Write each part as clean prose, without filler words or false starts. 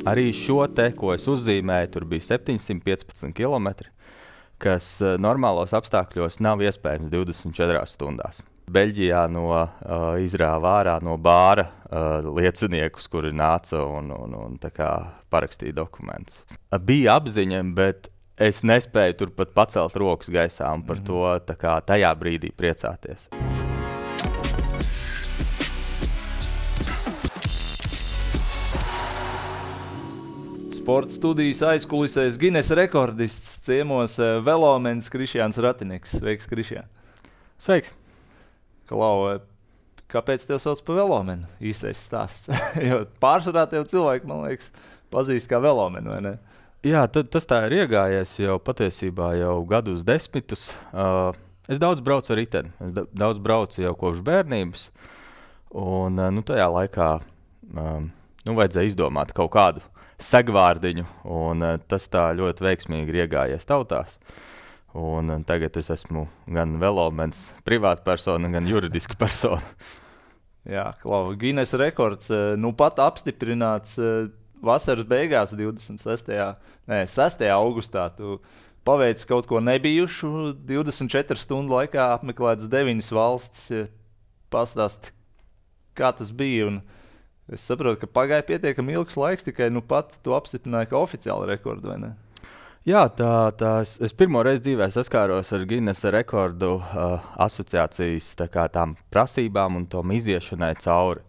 Arī šo te, ko es uzzīmēju, tur bija 715 km, kas normālos apstākļos nav iespējams 24 stundās. Beļģijā izrāva ārā no bāra lieciniekus, kuri nāca un tā kā parakstīja dokumentus. Bija apziņa, bet es nespēju tur pat pacelt rokas gaisā un par to tā kā tajā brīdī priecāties. Sporta studijas aizkulisēs Guinness rekordists ciemos velomens Krišjāns Ratinieks. Sveiks, Krišjān. Sveiks. Klau, kāpēc tev sauc par velomenu? Īstais stāsts. Jo pārsvarā tev cilvēki, man liekas, pazīst kā velomenu, vai ne? Jā, tas tā ir iegājies jau patiesībā jau gadus desmitus. Es daudz braucu ar riteni. Es daudz braucu jau kopš bērnības. Un tajā laikā vajadzēja izdomāt kaut kādu segvārdiņu, un tas tā ļoti veiksmīgi ir iegājies tautās. Un tagad es esmu gan velomens privāta persona, gan juridiska persona. Jā, Klau, Guinness rekords pat apstiprināts vasaras beigās 6. augustā. Tu paveici kaut ko nebijušu, 24 stundu laikā apmeklētas 9 valstis. Pastāsti, kā tas bija, un es saprotu, ka pagāja pietiekami ilgs laiks, tikai pat tu apstiprināji kā oficiāli rekordu, vai ne? Jā, es pirmo reizi dzīvē saskāros ar Guinness rekordu asociācijas tām prasībām un tom iziešanai cauri.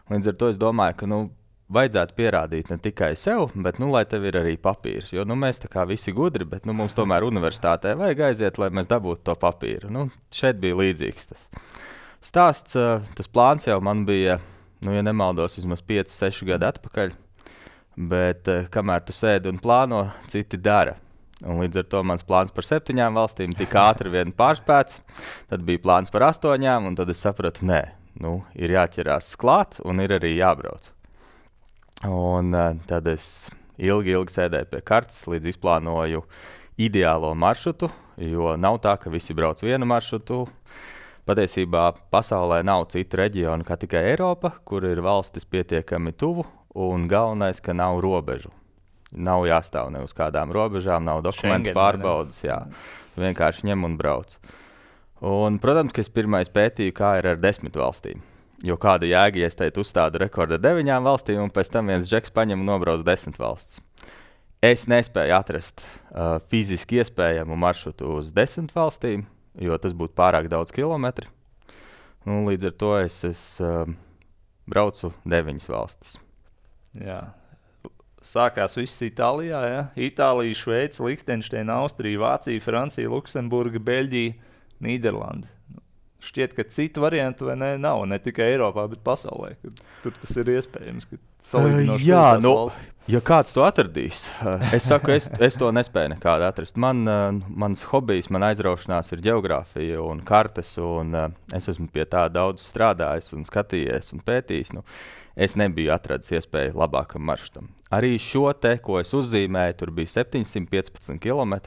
Līdz ar to es domāju, ka vajadzētu pierādīt ne tikai sev, bet lai tev ir arī papīrs. Jo mēs tā kā visi gudri, bet mums tomēr universitātē vajag aiziet, lai mēs dabūtu to papīru. Šeit bija līdzīgs tas stāsts. Tas plāns jau man bija, ja nemaldos, vismaz 5-6 gadi atpakaļ. Bet kamēr tu sēdi un plāno, citi dara. Un līdz ar to mans plāns par 7 valstīm tik ātri vien pārspēts. Tad bija plāns par 8, un tad es sapratu, ir jāķerās klāt un ir arī jābrauc. Un tad es ilgi sēdēju pie kartes, līdz izplānoju ideālo maršrutu, jo nav tā, ka visi brauc vienu maršrutu. Patiesībā pasaulē nav citu reģionu kā tikai Eiropa, kur ir valstis pietiekami tuvu, un galvenais, ka nav robežu. Nav jāstāv ne uz kādām robežām, nav dokumentu pārbaudas, vienkārši ņem un brauc. Un, protams, ka es pirmais pētīju, kā ir ar 10 valstīm. Jo kāda jēga, ja es teicu uzstādu rekordu 9 valstīm, un pēc tam viens džeks paņem un nobrauc 10 valstis. Es nespēju atrast fiziski iespējamu maršrutu uz 10 valstīm, jo tas būtu pārāk daudz kilometri. Līdz ar to es braucu 9 valstis. Jā. Sākās viss Itālijā, ja? Itālija, Šveice, Lihtenšteina, Austrija, Vācija, Francija, Luksemburga, Beļģija, Nīderlanda. Šķiet, ka citu variantu nav, ne tikai Eiropā, bet pasaulē. Tur tas ir iespējams, ka salīdzinoši valsts. Ja kāds to atradīs, es saku, es to nespēju nekādu atrast. Mans hobijs, man aizraušanās ir ģeogrāfija un kartes, un es esmu pie tā daudz strādājis un skatījies un pētījis. Es nebiju atradis iespēju labākam maršrutam. Arī šo te, ko es uzzīmēju, tur bija 715 km,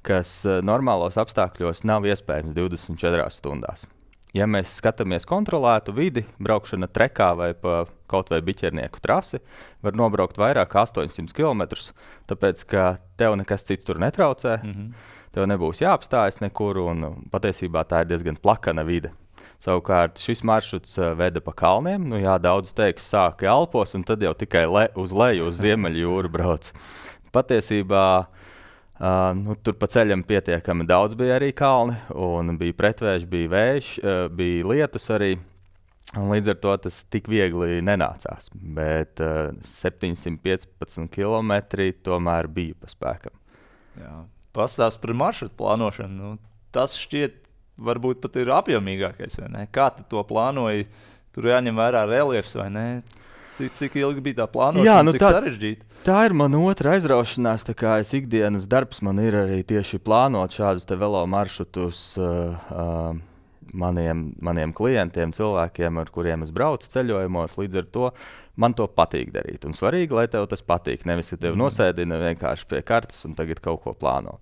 kas normālos apstākļos nav iespējams 24 stundās. Ja mēs skatāmies kontrolētu vidi, braukšana trekā vai pa kaut vai biķernieku trasi, var nobraukt vairāk kā 800 km, tāpēc, ka tev nekas cits tur netraucē, tev nebūs jāapstājas nekur, un patiesībā tā ir diezgan plakana vide. Savukārt šis maršruts veda pa kalniem, daudz teiks sāka Alpos, un tad jau tikai uz leju, uz Ziemeļjūru brauc. Patiesībā tur pa ceļam pietiekami daudz bija arī kalni, un bija pretvēji, bija vējš, bija lietus arī, un līdz ar to tas tik viegli nenācās. Bet 715 km tomēr bija pa spēkam. Jā. Pastāst par maršrutu plānošanu. Tas šķiet varbūt pat ir apjomīgākais, vai ne? Kā tu to plānoji? Tur jāņem vērā reliefs, vai ne? Cik ilgi bija tā plānošana, cik sarežģīta? Tā ir mana otra aizraušanās, tā kā es ikdienas darbs man ir arī tieši plānot šādus te velo maršrutus maniem klientiem, cilvēkiem, ar kuriem es braucu ceļojumos. Līdz ar to man to patīk darīt. Un svarīgi, lai tev tas patīk. Nevis, ka tev nosēdina vienkārši pie kartes un tagad kaut ko plāno.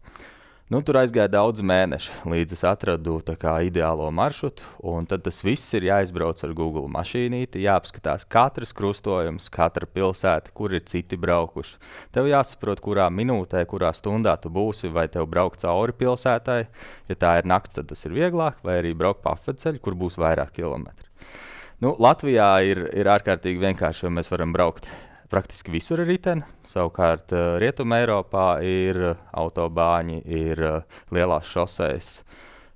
Nu, tur aizgāja daudz mēneši, līdz es atradu ideālo maršrutu. Tad tas viss ir jāizbrauc ar Google mašīnīti, jāapskatās katrs krustojums, katra pilsēta, kur ir citi braukuši. Tev jāsaprot, kurā minūtē, kurā stundā tu būsi, vai tev braukt cauri pilsētai. Ja tā ir nakts, tad tas ir vieglāk, vai arī braukt pa apveceļu, kur būs vairāk kilometru. Nu, Latvijā ir ārkārtīgi vienkārši, jo mēs varam braukt praktiski visur ir riteni. Savukārt Rietumē Eiropā ir autobāņi, ir lielās šosejas,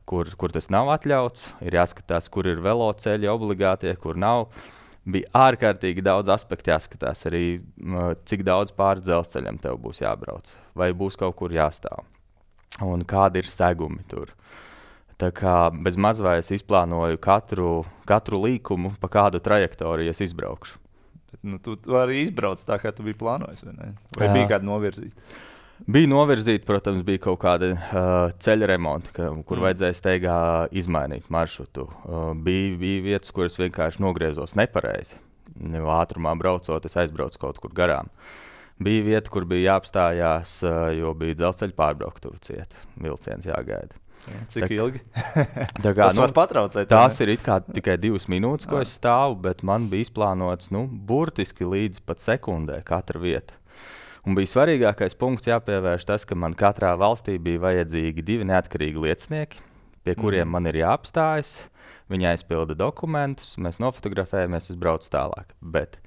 kur tas nav atļauts. Ir jāskatās, kur ir veloceļi obligātie, kur nav. Bija ārkārtīgi daudz aspektu jāskatās arī, cik daudz pāri dzelzceļam tev būs jābrauc, vai būs kaut kur jāstāv, un kādi ir segumi tur. Tā kā bez maz vai es izplānoju katru līkumu, pa kādu trajektoriju es izbraukšu. Nu, tu arī izbrauc tā, kā tu biji plānojis, vai ne? Vai bija kāda novirzīta? Bija novirzīta, protams, bija kaut kāda ceļa remonta, kur vajadzēja steigā izmainīt maršrutu. Bija vietas, kuras vienkārši nogriezos nepareizi. Ātrumā braucot, es aizbraucu kaut kur garām. Bija vieta, kur bija jāapstājās, jo bija dzelzceļa pārbrauktuve cieta. Vilciens jāgaida. Cik ilgi? Tas var patraucēt. Tās ir tikai 2 minūtes, ko es stāvu, bet man bija izplānots burtiski līdz pat sekundē katra vieta. Un bija svarīgākais punkts jāpievērš tas, ka man katrā valstī bija vajadzīgi 2 neatkarīgi liecinieki, pie kuriem man ir jāapstājas. Viņi aizpilda dokumentus, mēs nofotografējamies, es braucu tālāk. Bet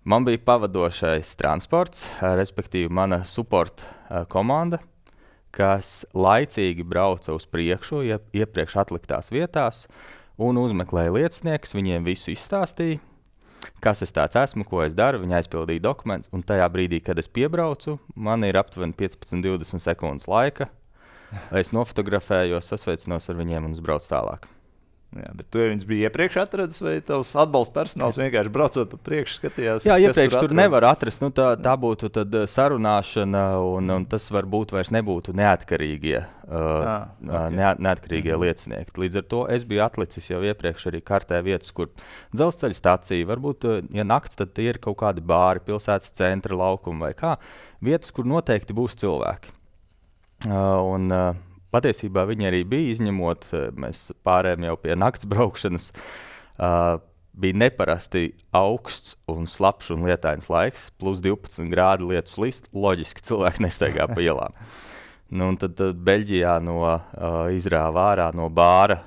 man bija pavadošais transports, respektīvi mana support komanda, kas laicīgi brauca uz priekšu, iepriekš atliktās vietās un uzmeklēja lieciniekus, viņiem visu izstāstīja, kas es tāds esmu, ko es daru, viņi aizpildīja dokumentus, un tajā brīdī, kad es piebraucu, man ir aptuveni 15-20 sekundes laika, es nofotografējos, sasveicinos ar viņiem un uzbraucu tālāk. Jā, bet tu viņus bija iepriekš atradis, vai tavs atbalsta personāls vienkārši braucot pa priekšu skatījās? Jā, iepriekš tur nevar atrast. Nu, tā būtu tad sarunāšana, un tas varbūt vairs nebūtu neatkarīgie liecinieki. Līdz ar to es biju atlicis jau iepriekš arī kartē vietas, kur dzelzceļa stacija, varbūt, ja nakts, tad tie ir kaut kādi bāri, pilsētas centra laukumi vai kā. Vietas, kur noteikti būs cilvēki. Patiesībā viņi arī bija, izņemot, mēs pārējām jau pie nakts braukšanas, bija neparasti augsts un slapjš un lietains laiks, plus 12 grādi lietus list, loģiski cilvēki nestaigā pa ielām. Nu, un tad Beļģijā izrāva ārā no bāra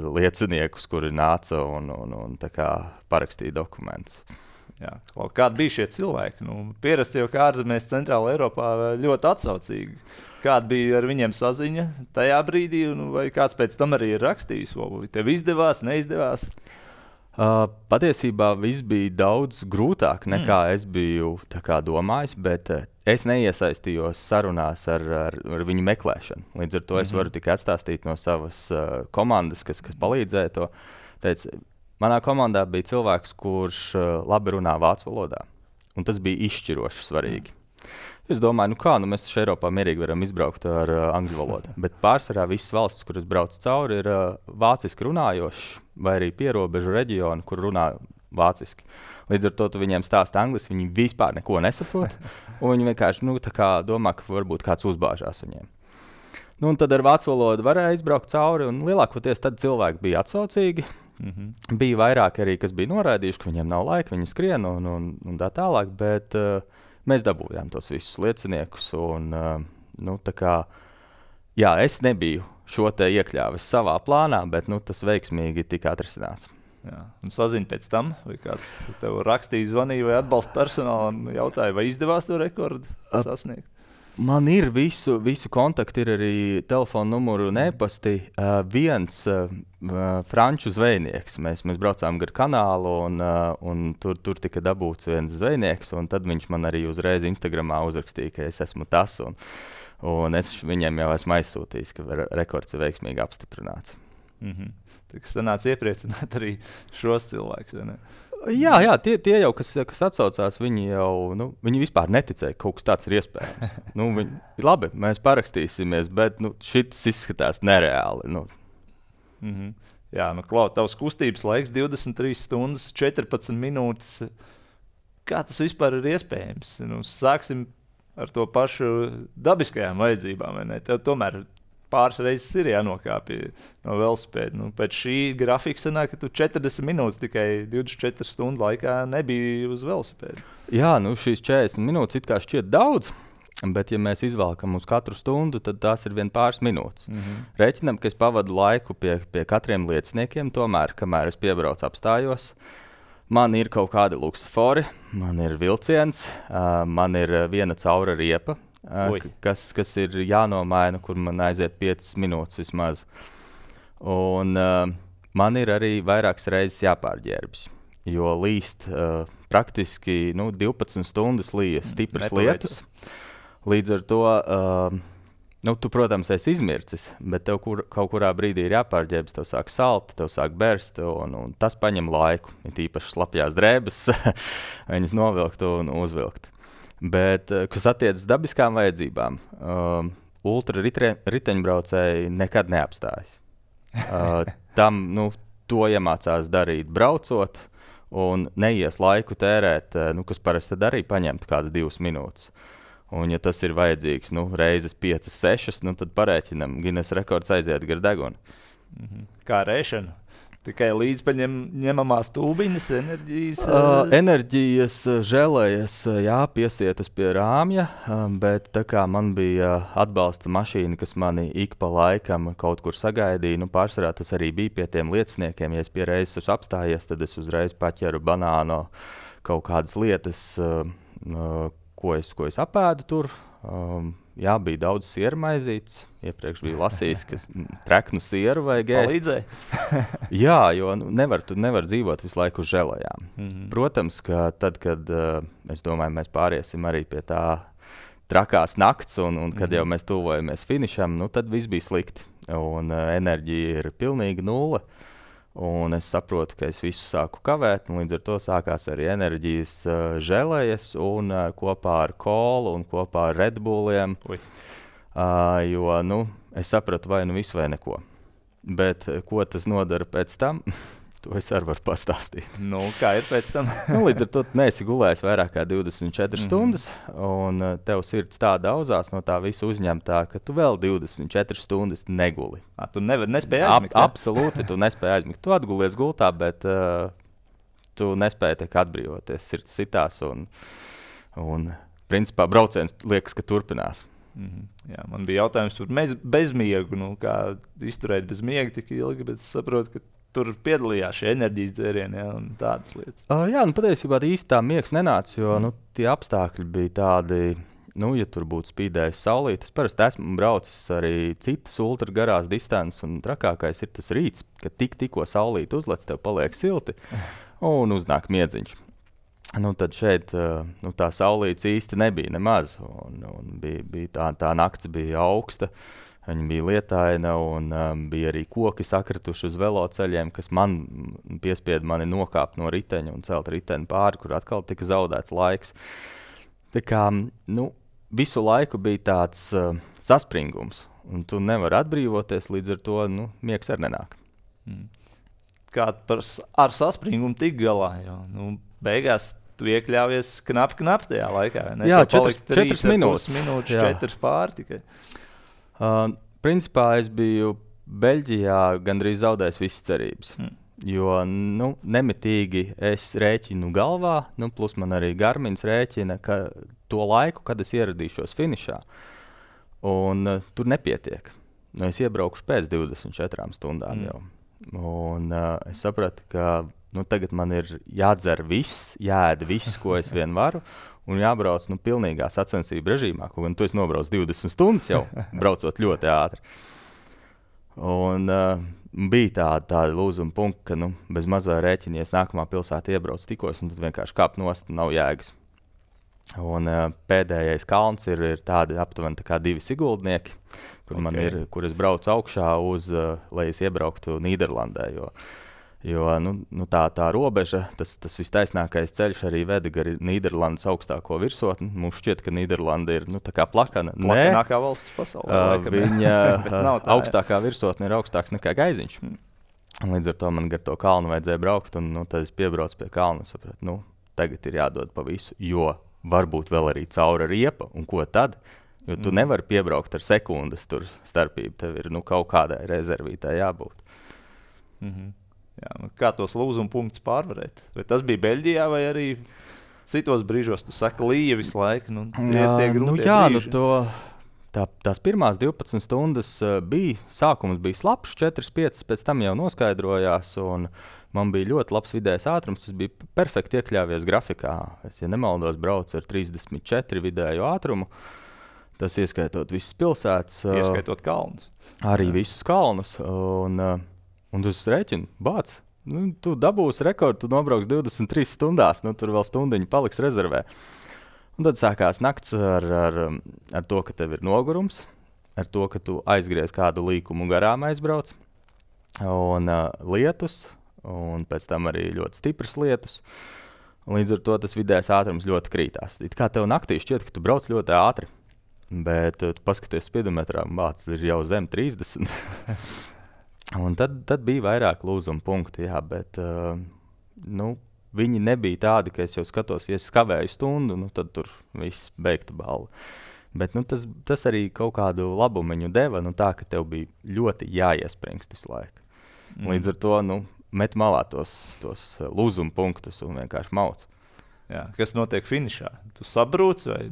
lieciniekus, kuri nāca un tā kā parakstīja dokumentus. Jā, kādi bija šie cilvēki? Nu, pierasti jau kā ārzemēs Centrāla Eiropā ļoti atsaucīgi. Kāda bija ar viņiem saziņa tajā brīdī, vai kāds pēc tam arī ir rakstījis? Vai tev izdevās, neizdevās? Patiesībā viss bija daudz grūtāk nekā es biju domājis, bet es neiesaistījos sarunās ar viņu meklēšanu. Līdz ar to es varu tikai atstāstīt no savas komandas, kas palīdzēja to. Teicu, manā komandā bija cilvēks, kurš labi runā vācu valodā, un tas bija izšķiroši svarīgi. Es domāju, mēs taču Eiropā mierīgi varam izbraukt ar angļu valodu, bet pārsvarā visas valstis, kuras brauc cauri, ir vāciski runājoši, vai arī pierobežu reģioni, kur runā vāciski. Līdz ar to tu viņiem stāsti angliski, viņi vispār neko nesaprot, un viņi vienkārši domā, ka varbūt kāds uzbāžās viņiem. Un tad ar vācu valodu varēja izbraukt cauri, un lielākoties tad cilvēki bija atsaucīgi. Bija vairāk arī, kas bija noraidījuši, ka viņiem nav laika, viņi skrien un tā tālāk, bet mēs dabūjām tos visus lieciniekus. Es nebiju šo te iekļāvis savā plānā, bet tas veiksmīgi tika atrisināts. Jā. Un saziņa pēc tam, vai kāds tev rakstīja, zvanīja vai atbalsta personālam, jautāja, vai izdevās to rekordu sasniegt? Man ir visu kontaktu, ir arī telefona numuru un e-pasti. Viens franču zvejnieks. Mēs braucām gar kanālu, un tur tika dabūts viens zvejnieks, un tad viņš man arī uzreiz Instagramā uzrakstīja, ka es esmu tas, un es viņiem jau esmu aizsūtījis, ka rekords ir veiksmīgi apstiprināts. Tas sanāca iepriecināt arī šos cilvēkus, vai ne? Jā, tie jau, kas atsaucās, viņi viņi vispār neticēja, ka kaut kas tāds ir iespējams. Labi, mēs parakstīsimies, bet šis izskatās nereāli. Jā, Klau, tavs kustības laiks 23 stundas, 14 minūtes. Kā tas vispār ir iespējams? Sāksim ar to pašu dabiskajām vajadzībām, vai ne? Tev tomēr pāris reizes ir jānokāpj no velosipēda. Nu, pēc šī grafika sanāk, ka tu 40 minūtes tikai 24 stundu laikā nebija uz velosipēda. Jā, nu šīs 40 minūtes it kā šķiet daudz, bet ja mēs izvalkam uz katru stundu, tad tās ir vien pāris minūtes. Rēķinam, ka es pavadu laiku pie katriem lieciniekiem, tomēr, kamēr es piebraucu apstājos. Man ir kaut kādi luksofori, man ir vilciens, man ir viena caura riepa, kas ir jānomaina, kur man aiziet 5 minūtes vismaz. Un man ir arī vairākas reizes jāpārģērbjas, jo līst praktiski 12 stundas līja stipras lietas. Līdz ar to tu, protams, esi izmircis, bet tev kaut kurā brīdī ir jāpārģērbjas, tev sāk salt, tev sāk berst, un tas paņem laiku. Ir īpaši slapjās drēbes, viņas novilkt un uzvilkt. Bet, kas attiecas dabiskām vajadzībām, ultra riteņbraucēji nekad neapstājas. Tam, to iemācās darīt braucot, un neies laiku tērēt, kas parasti tad arī paņemt kādas 2 minūtes. Un, ja tas ir vajadzīgs reizes 5, 6, tad parēķinam, Guinness rekords aiziet gar degunu. Kā rēšana? Tikai līdzpaņemamās tūbiņas, enerģijas? Enerģijas želejas, jā, piesietas pie rāmja, bet tā kā man bija atbalsta mašīna, kas mani ik pa laikam kaut kur sagaidīja, pārsvarā tas arī bija pie tiem lieciniekiem. Ja es pie reizes esmu apstājies, tad es uzreiz paķeru banāno kaut kādas lietas, ko es apēdu tur. Jā, bija daudz sieru maizītes. Iepriekš bija lasījis, ka treknu sieru vajag ēst. Palīdzēja? Jā, jo tu nevar dzīvot visu laiku uz želajām. Protams, ka tad, kad es domāju, mēs pāriesim arī pie tā trakās nakts, un kad jau mēs tuvojamies finišam, tad viss bija slikti. Un enerģija ir pilnīgi nulle. Un es saprotu, ka es visu sāku kavēt, un līdz ar to sākās arī enerģijas želejas, un kopā ar kolu un kopā ar Red Bulliem, jo es sapratu vai visu vai neko. Bet ko tas nodara pēc tam, to es arī varu pastāstīt. Kā ir pēc tam? Līdz ar to neesi gulējis vairāk kā 24 stundas, un tev sirds tā daudzās no tā visa uzņemtā, ka tu vēl 24 stundas neguli. Tu nespēji aizmigt? Absolūti, tu nespēji aizmigt. Tu atgulies gultā, bet tu nespēji atbrīvoties. Sirds sitās, un principā brauciens liekas, ka turpinās. Jā, man bija jautājums par bezmiegu, kā izturēt bez miega tik ilgi, bet es saprotu, ka tur piedalījās šie enerģijas dzērieni un tādas lietas. Jā, patiesībā īsti tā miegs nenāca, jo tie apstākļi bija tādi, ja tur būtu spīdējusi saulīt. Es parasti esmu braucis arī citas ultra garās distances, un trakākais ir tas rīts, kad tikko saulīt uzlec, tev paliek silti un uznāk miedziņš. Tad šeit tā saulītes īsti nebija nemaz, un bija tā nakts bija augsta. Viņa bija lietaina, un bija arī koki sakrituši uz veloceļiem, kas man piespieda mani nokāpt no riteņa un celt riteni pāri, kur atkal tika zaudēts laiks. Tā kā, visu laiku bija tāds saspringums, un tu nevari atbrīvoties, līdz ar to miegs arī nenāk. Kā ar saspringumu tik galā, jo beigās tu iekļāvies knapi tajā laikā. Ne? Jā, 4 minūtes. 4 pāri tikai. Principā es biju Beļģijā gandrīz zaudējis visas cerības, jo nemitīgi es rēķinu galvā, plus man arī Garmins rēķina to laiku, kad es ieradīšos finišā, un tur nepietiek. Es iebraukšu pēc 24 stundām jau, un es sapratu, ka tagad man ir jādzer viss, jāēd viss, ko es vien varu, un jābrauc pilnīgā sacensību režīmā, kaut gan tu esi nobrauc 20 stundas jau, braucot ļoti ātri. Un bija tāda lūzuma punkta, ka bez mazā rēķinies nākamā pilsēta iebrauc tikos, un tad vienkārši kāp nost, nav jēgas. Un pēdējais kalns ir tādi aptuveni tā kā 2 Siguldnieki, kur es braucu augšā lai es iebrauktu Nīderlandē, jo tā robeža, tas vistaisnākais ceļš arī veda gar Nīderlandes augstāko virsotni. Mums šķiet, ka Nīderlanda ir tā kā plakana. Plakanākā valsts pasaulē. Viņa augstākā virsotne ir augstāks nekā Gaiziņš. Līdz ar to man gar to kalnu vajadzēja braukt, un tad es piebraucu pie kalna un sapratu, tagad ir jādod pa visu, jo varbūt vēl arī caura riepa, un ko tad? Jo tu nevari piebraukt ar sekundes tur starpību. Tev ir kaut kādai rezervītē jābūt. Jā, kā tos lūzuma punktus pārvarēt? Vai tas bija Beļģijā vai arī citos brīžos? Tu saki, līja visu laiku. Tie grūtie brīži. Tās pirmās 12 stundas sākums bija slapjš, 4-5, pēc tam jau noskaidrojās. Man bija ļoti labs vidējais ātrums. Tas bija perfekti iekļāvies grafikā. Es, ja nemaldos, braucu ar 34 vidēju ātrumu. Tas ieskaitot visas pilsētas. Ieskaitot kalnus. Arī visus kalnus. Un tu rēķini, bāc. Tu dabūsi rekordu, tu nobrauks 23 stundās. Tur vēl stundiņu paliks rezervē. Un tad sākās nakts ar to, ka tev ir nogurums. Ar to, ka tu aizgriez kādu līkumu garām aizbrauc. Un lietus. Un pēc tam arī ļoti stipras lietus. Līdz ar to tas vidējais ātrums ļoti krītās. It kā tev naktī šķiet, ka tu brauc ļoti ātri, bet tu paskaties speedometrā, bāc, ir jau zem 30. Un tad bija vairāk lūzuma punkti, jā, bet viņi nebija tādi, ka es jau skatos, ja es kavēju stundu, tad tur viss beigta balva. Bet tas arī kaut kādu labumiņu deva, tā, ka tev bija ļoti jāiespringst visu laiku. Līdz ar to, met malā tos lūzuma punktus un vienkārši mauc. Jā, kas notiek finišā? Tu sabrūc vai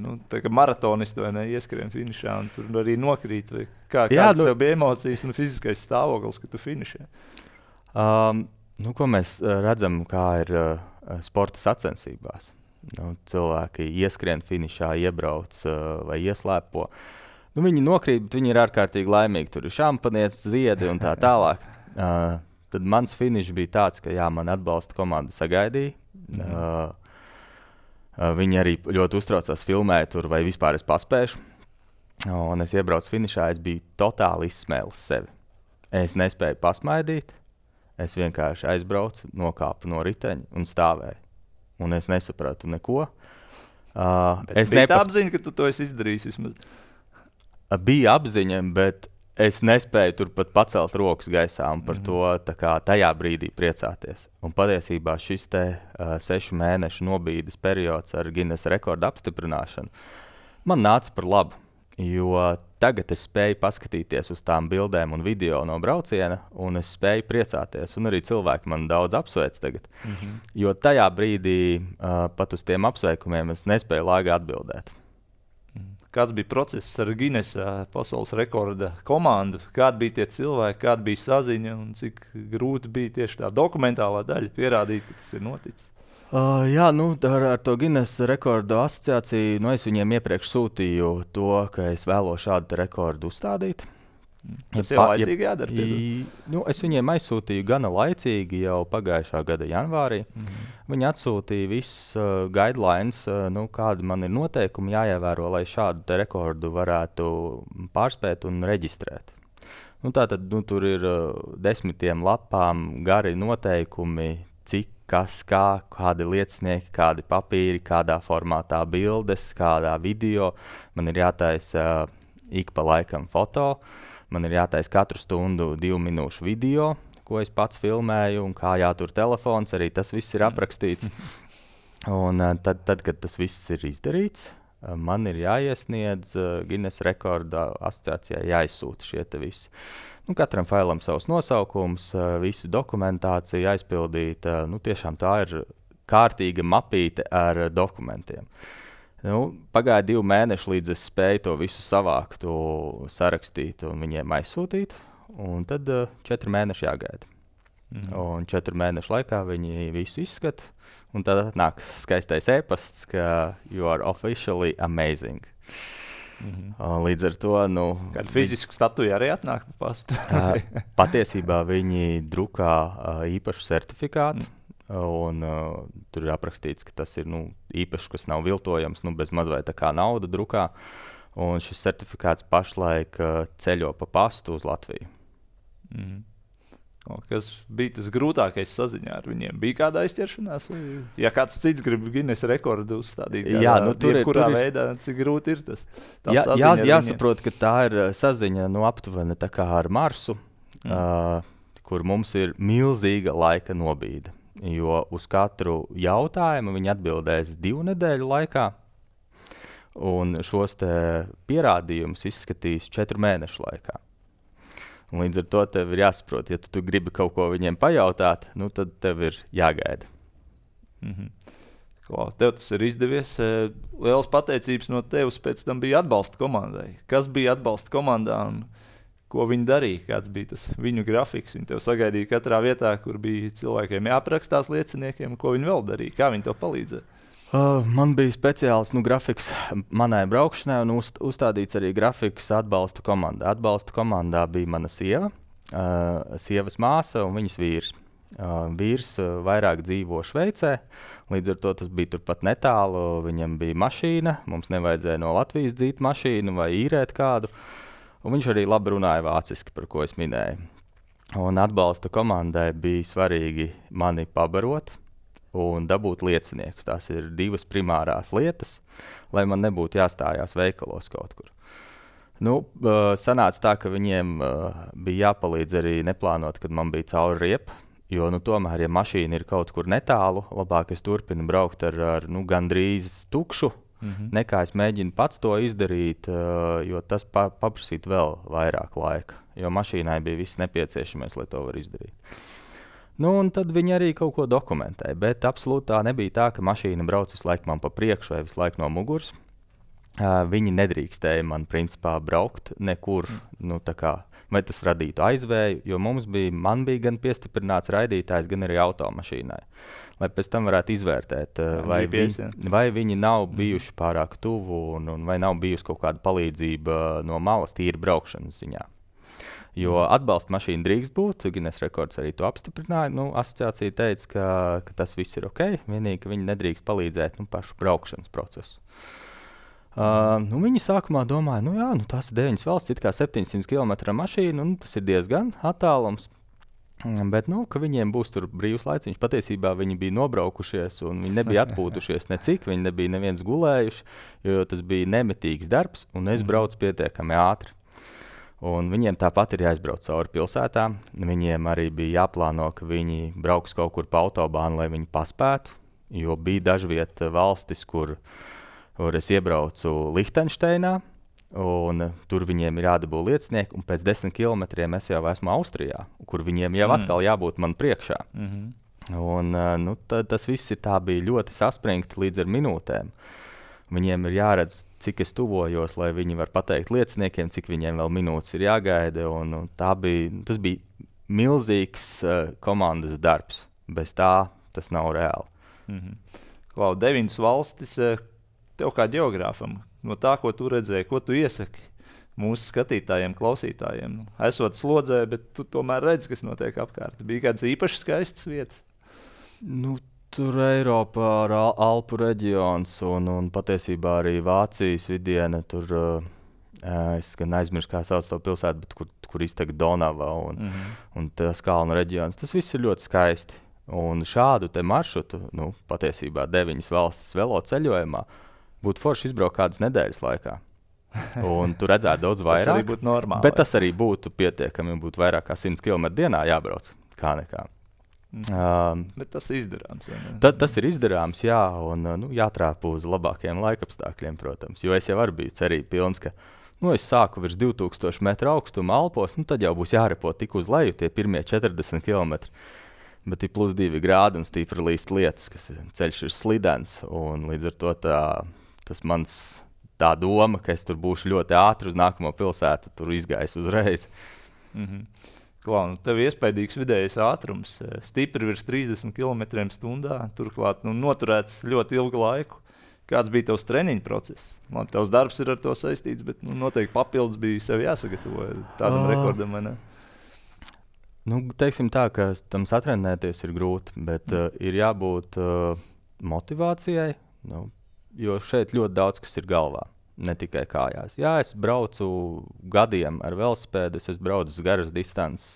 maratonisti vai ne ieskrien finišā un tur arī nokrīt? Kādas tev bija emocijas un fiziskais stāvoklis, ka tu finišē? Ko mēs redzam, kā ir sporta sacensībās. Cilvēki ieskrien finišā, iebrauc vai ieslēpo. Viņi nokrīt, bet viņi ir ārkārtīgi laimīgi. Tur ir šampanietis, ziedi un tā tālāk. Tad mans finišs bija tāds, ka man atbalsta komanda sagaidīja. Viņi arī ļoti uztraucās filmēt tur, vai vispār es paspēšu. Un es iebraucu finišā, es biju totāli izsmēlis sevi. Es nespēju pasmaidīt, es vienkārši aizbraucu, nokāpu no riteņa un stāvēju. Un es nesapratu neko. Es bija apziņa, ka tu to esi izdarījis vismaz? Bija apziņa, bet es nespēju turpat pacelt rokas gaisā un par to tajā brīdī priecāties. Un patiesībā šis 6 mēnešu nobīdes periods ar Guinness rekordu apstiprināšanu man nāca par labu, jo tagad es spēju paskatīties uz tām bildēm un video no brauciena, un es spēju priecāties. Un arī cilvēki man daudz apsveic tagad. Jo tajā brīdī pat uz tiem apsveikumiem es nespēju laigi atbildēt. Kāds bija process ar Guinness pasaules rekorda komandu? Kādi bija tie cilvēki, kāda bija saziņa un cik grūti bija tieši tā dokumentālā daļa pierādīt, ka tas ir noticis? Ar to Guinness rekordu asociāciju es viņiem iepriekš sūtīju to, ka es vēlos šādu rekordu uzstādīt. Tas jau laicīgi jādara? Es viņiem aizsūtīju gana laicīgi jau pagājušā gada janvārī. Viņi atsūtīja visus guidelines, kādi man ir noteikumi jāievēro, lai šādu rekordu varētu pārspēt un reģistrēt. Tātad tur ir 10 lapām gari noteikumi, cik, kas, kādi liecinieki, kādi papīri, kādā formātā bildes, kādā video. Man ir jātaisa ik pa laikam foto. Man ir jātaisa katru stundu 2 minūšu video, ko es pats filmēju, un kā jātur telefons, arī tas viss ir aprakstīts. Un tad, kad tas viss ir izdarīts, man ir jāiesniedz Guinness rekorda asociācijai, jāizsūta šie te visi. Katram failam savs nosaukums, visu dokumentāciju aizpildīt. Tiešām tā ir kārtīga mapīte ar dokumentiem. Pagāja 2 mēneši, līdz es spēju to visu savākt, sarakstīt un viņiem aizsūtīt. Un tad 4 mēneši jāgaida. Un 4 mēnešu laikā viņi visu izskata. Un tad nāk skaistais e-pasts, ka you are officially amazing. Līdz ar to... Kāda fiziska statuja arī atnāk pa pastu? Patiesībā viņi drukā īpašu certifikātu. Un tur ir aprakstīts, ka tas ir īpašs, kas nav viltojams, bez mazliet tā kā nauda drukā. Un šis certifikāts pašlaik ceļo pa pastu uz Latviju. Kas bija tas grūtākais saziņā ar viņiem? Bija kāda aizķeršanās? Ja kāds cits grib Guinness rekordu uzstādīt, kurā veidā, cik grūti ir tas? Jāsaprot, ka tā ir saziņa aptuveni tā kā ar Marsu, kur mums ir milzīga laika nobīde. Jo uz katru jautājumu viņi atbildēs 2 nedēļu laikā. un šos pierādījumus izskatīs 4 mēnešu laikā. Un līdz ar to tev ir jāsaprot, ja tu gribi kaut ko viņiem pajautāt, tad tev ir jāgaida. Tev tas ir izdevies. Liels pateicības no tevis pēc tam bija atbalsta komandai. Kas bija atbalsta komandā un ko viņi darīja? Kāds bija tas viņu grafiks? Viņi tev sagaidīja katrā vietā, kur bija cilvēkiem jāaprakstās lieciniekiem, ko viņi vēl darīja. Kā viņi tev palīdzēja? Man bija speciāls grafiks manai braukšanai un uzstādīts arī grafiks atbalsta komandā. Atbalsta komandā bija mana sieva, sievas māsa un viņas vīrs. Vīrs vairāk dzīvo Šveicē, līdz ar to tas bija turpat netālu. Viņam bija mašīna, mums nevajadzēja no Latvijas dzīt mašīnu vai īrēt kādu. Un viņš arī labi runāja vāciski, par ko es minēju. Un atbalsta komandai bija svarīgi mani pabarot un dabūt lieciniekus. Tās ir 2 primārās lietas, lai man nebūtu jāstājās veikalos kaut kur. Sanāca tā, ka viņiem bija jāpalīdz arī neplānot, kad man bija cauri riepa, jo tomēr, ja mašīna ir kaut kur netālu, labāk es turpinu braukt ar gandrīz tukšu, nekā es mēģinu pats to izdarīt, jo tas paprasītu vēl vairāk laika, jo mašīnai bija viss nepieciešamais, lai to var izdarīt. Un tad viņi arī kaut ko dokumentēja, bet absolūti tā nebija tā, ka mašīna brauc visu laiku man pa priekšu vai visu laiku no muguras. Viņi nedrīkstēja man principā braukt nekur, vai tas radītu aizvēju, jo man bija gan piestiprināts raidītājs, gan arī automašīnai. Lai pēc tam varētu izvērtēt, vai viņi nav bijuši pārāk tuvu un vai nav bijusi kaut kāda palīdzība no malas tīri braukšanas ziņā. Jo atbalsta mašīna drīkst būt, Guinness rekords arī to apstiprināja. Asociācija teica, ka tas viss ir ok, vienīgi, ka viņi nedrīkst palīdzēt pašu braukšanas procesu. Viņi sākumā domāja, tās ir 9 valsts, it kā 700 km mašīna, tas ir diezgan attālums. Bet, ka viņiem būs tur brīvs laiciņš. Patiesībā viņi bija nobraukušies un viņi nebija atpūtušies necik, viņi nebija neviens gulējuši, jo tas bija nemitīgs darbs un es braucu pietiekami ātri. Un viņiem tāpat ir jāizbrauc cauri pilsētām. Viņiem arī bija jāplāno, ka viņi brauks kaut kur pa autobānu, lai viņi paspētu, jo bija dažviet valstis, kur es iebraucu Lihtenšteinā, un tur viņiem ir jādabū liecinieki, un pēc 10 kilometriem es jau esmu Austrijā, kur viņiem jau atkal jābūt man priekšā. Un tas viss bija ļoti saspringti līdz ar minūtēm. Viņiem ir jāredz, cik es tuvojos, lai viņi var pateikt lieciniekiem, cik viņiem vēl minūtes ir jāgaida. Tas bija milzīgs komandas darbs. Bez tā tas nav reāli. 9 valstis tev kā ģeogrāfam. No tā, ko tu redzēji, ko tu iesaki mūsu skatītājiem, klausītājiem. Esot slodzē, bet tu tomēr redzi, kas notiek apkārt. Bija kādas īpaši skaistas vietas? Tur Eiropā ir Alpu reģions un patiesībā arī Vācijas vidiene. Tur es gan aizmirsu, kā sauc to pilsētu, bet kur iztek Donava un tas kalnu reģions. Tas viss ir ļoti skaisti. Un šādu te maršrutu, patiesībā 9 valstis velo ceļojumā, būtu forši izbraukt kādas nedēļas laikā. Un tu redzētu daudz vairāk. Tas arī būtu normāli. Bet tas arī būtu pietiekami, būtu vairāk kā 100 km dienā jābrauc, kā nekā. Bet tas ir izdarāms. Tas ir izdarāms, jā, un jātrāpa uz labākiem laikapstākļiem, protams. Jo es jau arī biju cerība pilns, ka es sāku virs 2000 metru augstuma Alpos, tad jau būs jārepo tik uz leju tie pirmie 40 km. Bet ir +2 grādi un stīpri līst lietus, kas ceļš ir slidens. Un līdz ar to tas mans tā doma, ka es tur būšu ļoti ātri uz nākamo pilsētu, tur izgājis uzreiz. Tev ir iespaidīgs vidējais ātrums, stipri virs 30 km/h, turklāt noturēts ļoti ilgu laiku. Kāds bija tavs treniņu process? Tavs darbs ir ar to saistīts, bet noteikti papildus bija sev jāsagatavo tādam rekordam, vai ne? Teiksim tā, ka tam satrenēties ir grūti, bet ir jābūt motivācijai, jo šeit ļoti daudz kas ir galvā. Ne tikai kājās. Jā, es braucu gadiem ar velosipēdu, es esmu braucis garas distances,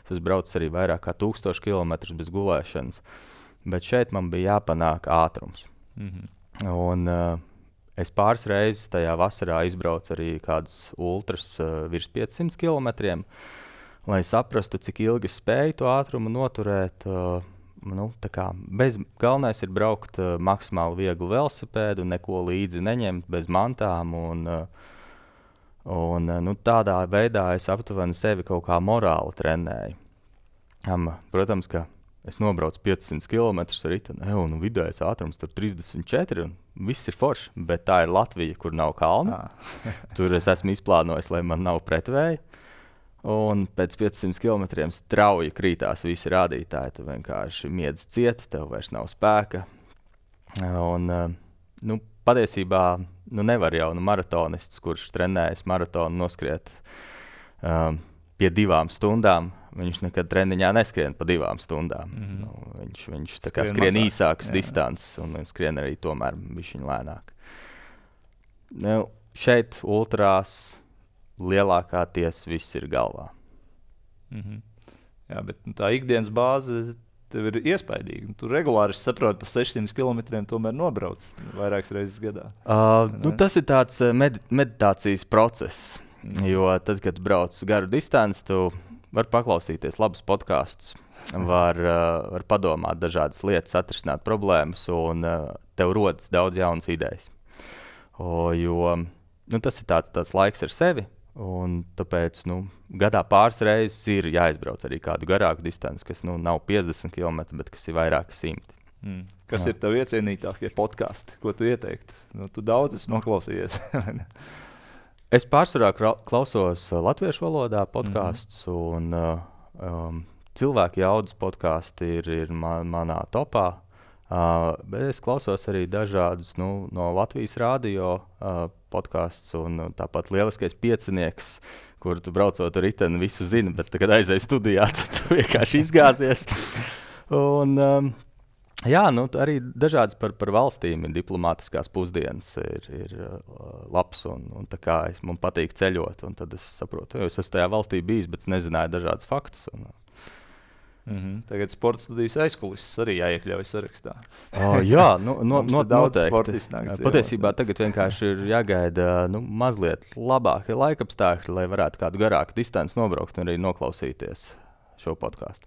es braucu arī vairāk kā 1000 km bez gulēšanas, bet šeit man bija jāpanāk ātrums. Un es pāris reizes tajā vasarā izbraucu arī kādas ultras virs 500 km, lai saprastu, cik ilgi es spēju to ātrumu noturēt, galvenais ir braukt maksimāli vieglu velosipēdu, neko līdzi neņemt, bez mantām. Tādā veidā es aptuveni sevi kaut kā morāli trenēju. Protams, ka es nobraucu 500 km ar riteni, un vidējais ātrums tur 34, un viss ir forši, bet tā ir Latvija, kur nav kalna. Tur es esmu izplānojis, lai man nav pretvēja. Un pēc 500 km strauji krītās visi rādītāji. Tu vienkārši miedz ciet, tev vairs nav spēka. Patiesībā nevar jau maratonists, kurš trenējas maratonu noskriet pie 2 stundām. Viņš nekad treniņā neskrien pa 2 stundām. Viņš tā kā skrien īsākas distances un skrien arī tomēr bišķiņ lēnāk. Šeit ultrās lielākā tiesa viss ir galvā. Jā, bet tā ikdienas bāze tev ir iespaidīga. Tu regulāri saproti, pa 600 km tomēr nobrauc vairākas reizes gadā. Tas ir tāds meditācijas process, jo tad, kad brauc garu distanci, tu vari paklausīties labus podkastus, var padomāt dažādas lietas, atrisināt problēmas, un tev rodas daudz jaunas idejas. Tas ir tāds laiks ar sevi. Un tāpēc gadā pāris reizes ir jāizbrauc arī kādu garāku distanci, kas nav 50 km, bet kas ir vairāki 100. Kas ir tev iecienītākie podkasti? Ko tu ieteiktu? Tu daudz esi noklausījies. Es pārsvarā klausos latviešu valodā podkastus, un cilvēku jaudas podkasti ir manā topā. Bet es klausos arī dažādus no Latvijas radio podkastus, un tāpat lieliskais piecinieks, kur tu braucot ar riteni visu zini, bet kad aizēji studijā, tad tu vienkārši izgāzies. Arī dažādas par valstīm ir diplomātiskās pusdienas, ir labs, un tā kā man patīk ceļot, un tad es saprotu, jo es esmu tajā valstī bijis, bet nezināju dažādas faktus. Tagad sporta studijas aizkulises arī jāiekļauj sarakstā. Jā, noteikti. Sportistnāk Patiesībā tagad vienkārši ir jāgaida mazliet labākie laikapstākļi, lai varētu kādu garāku distanci nobraukt un arī noklausīties šo podkāstu.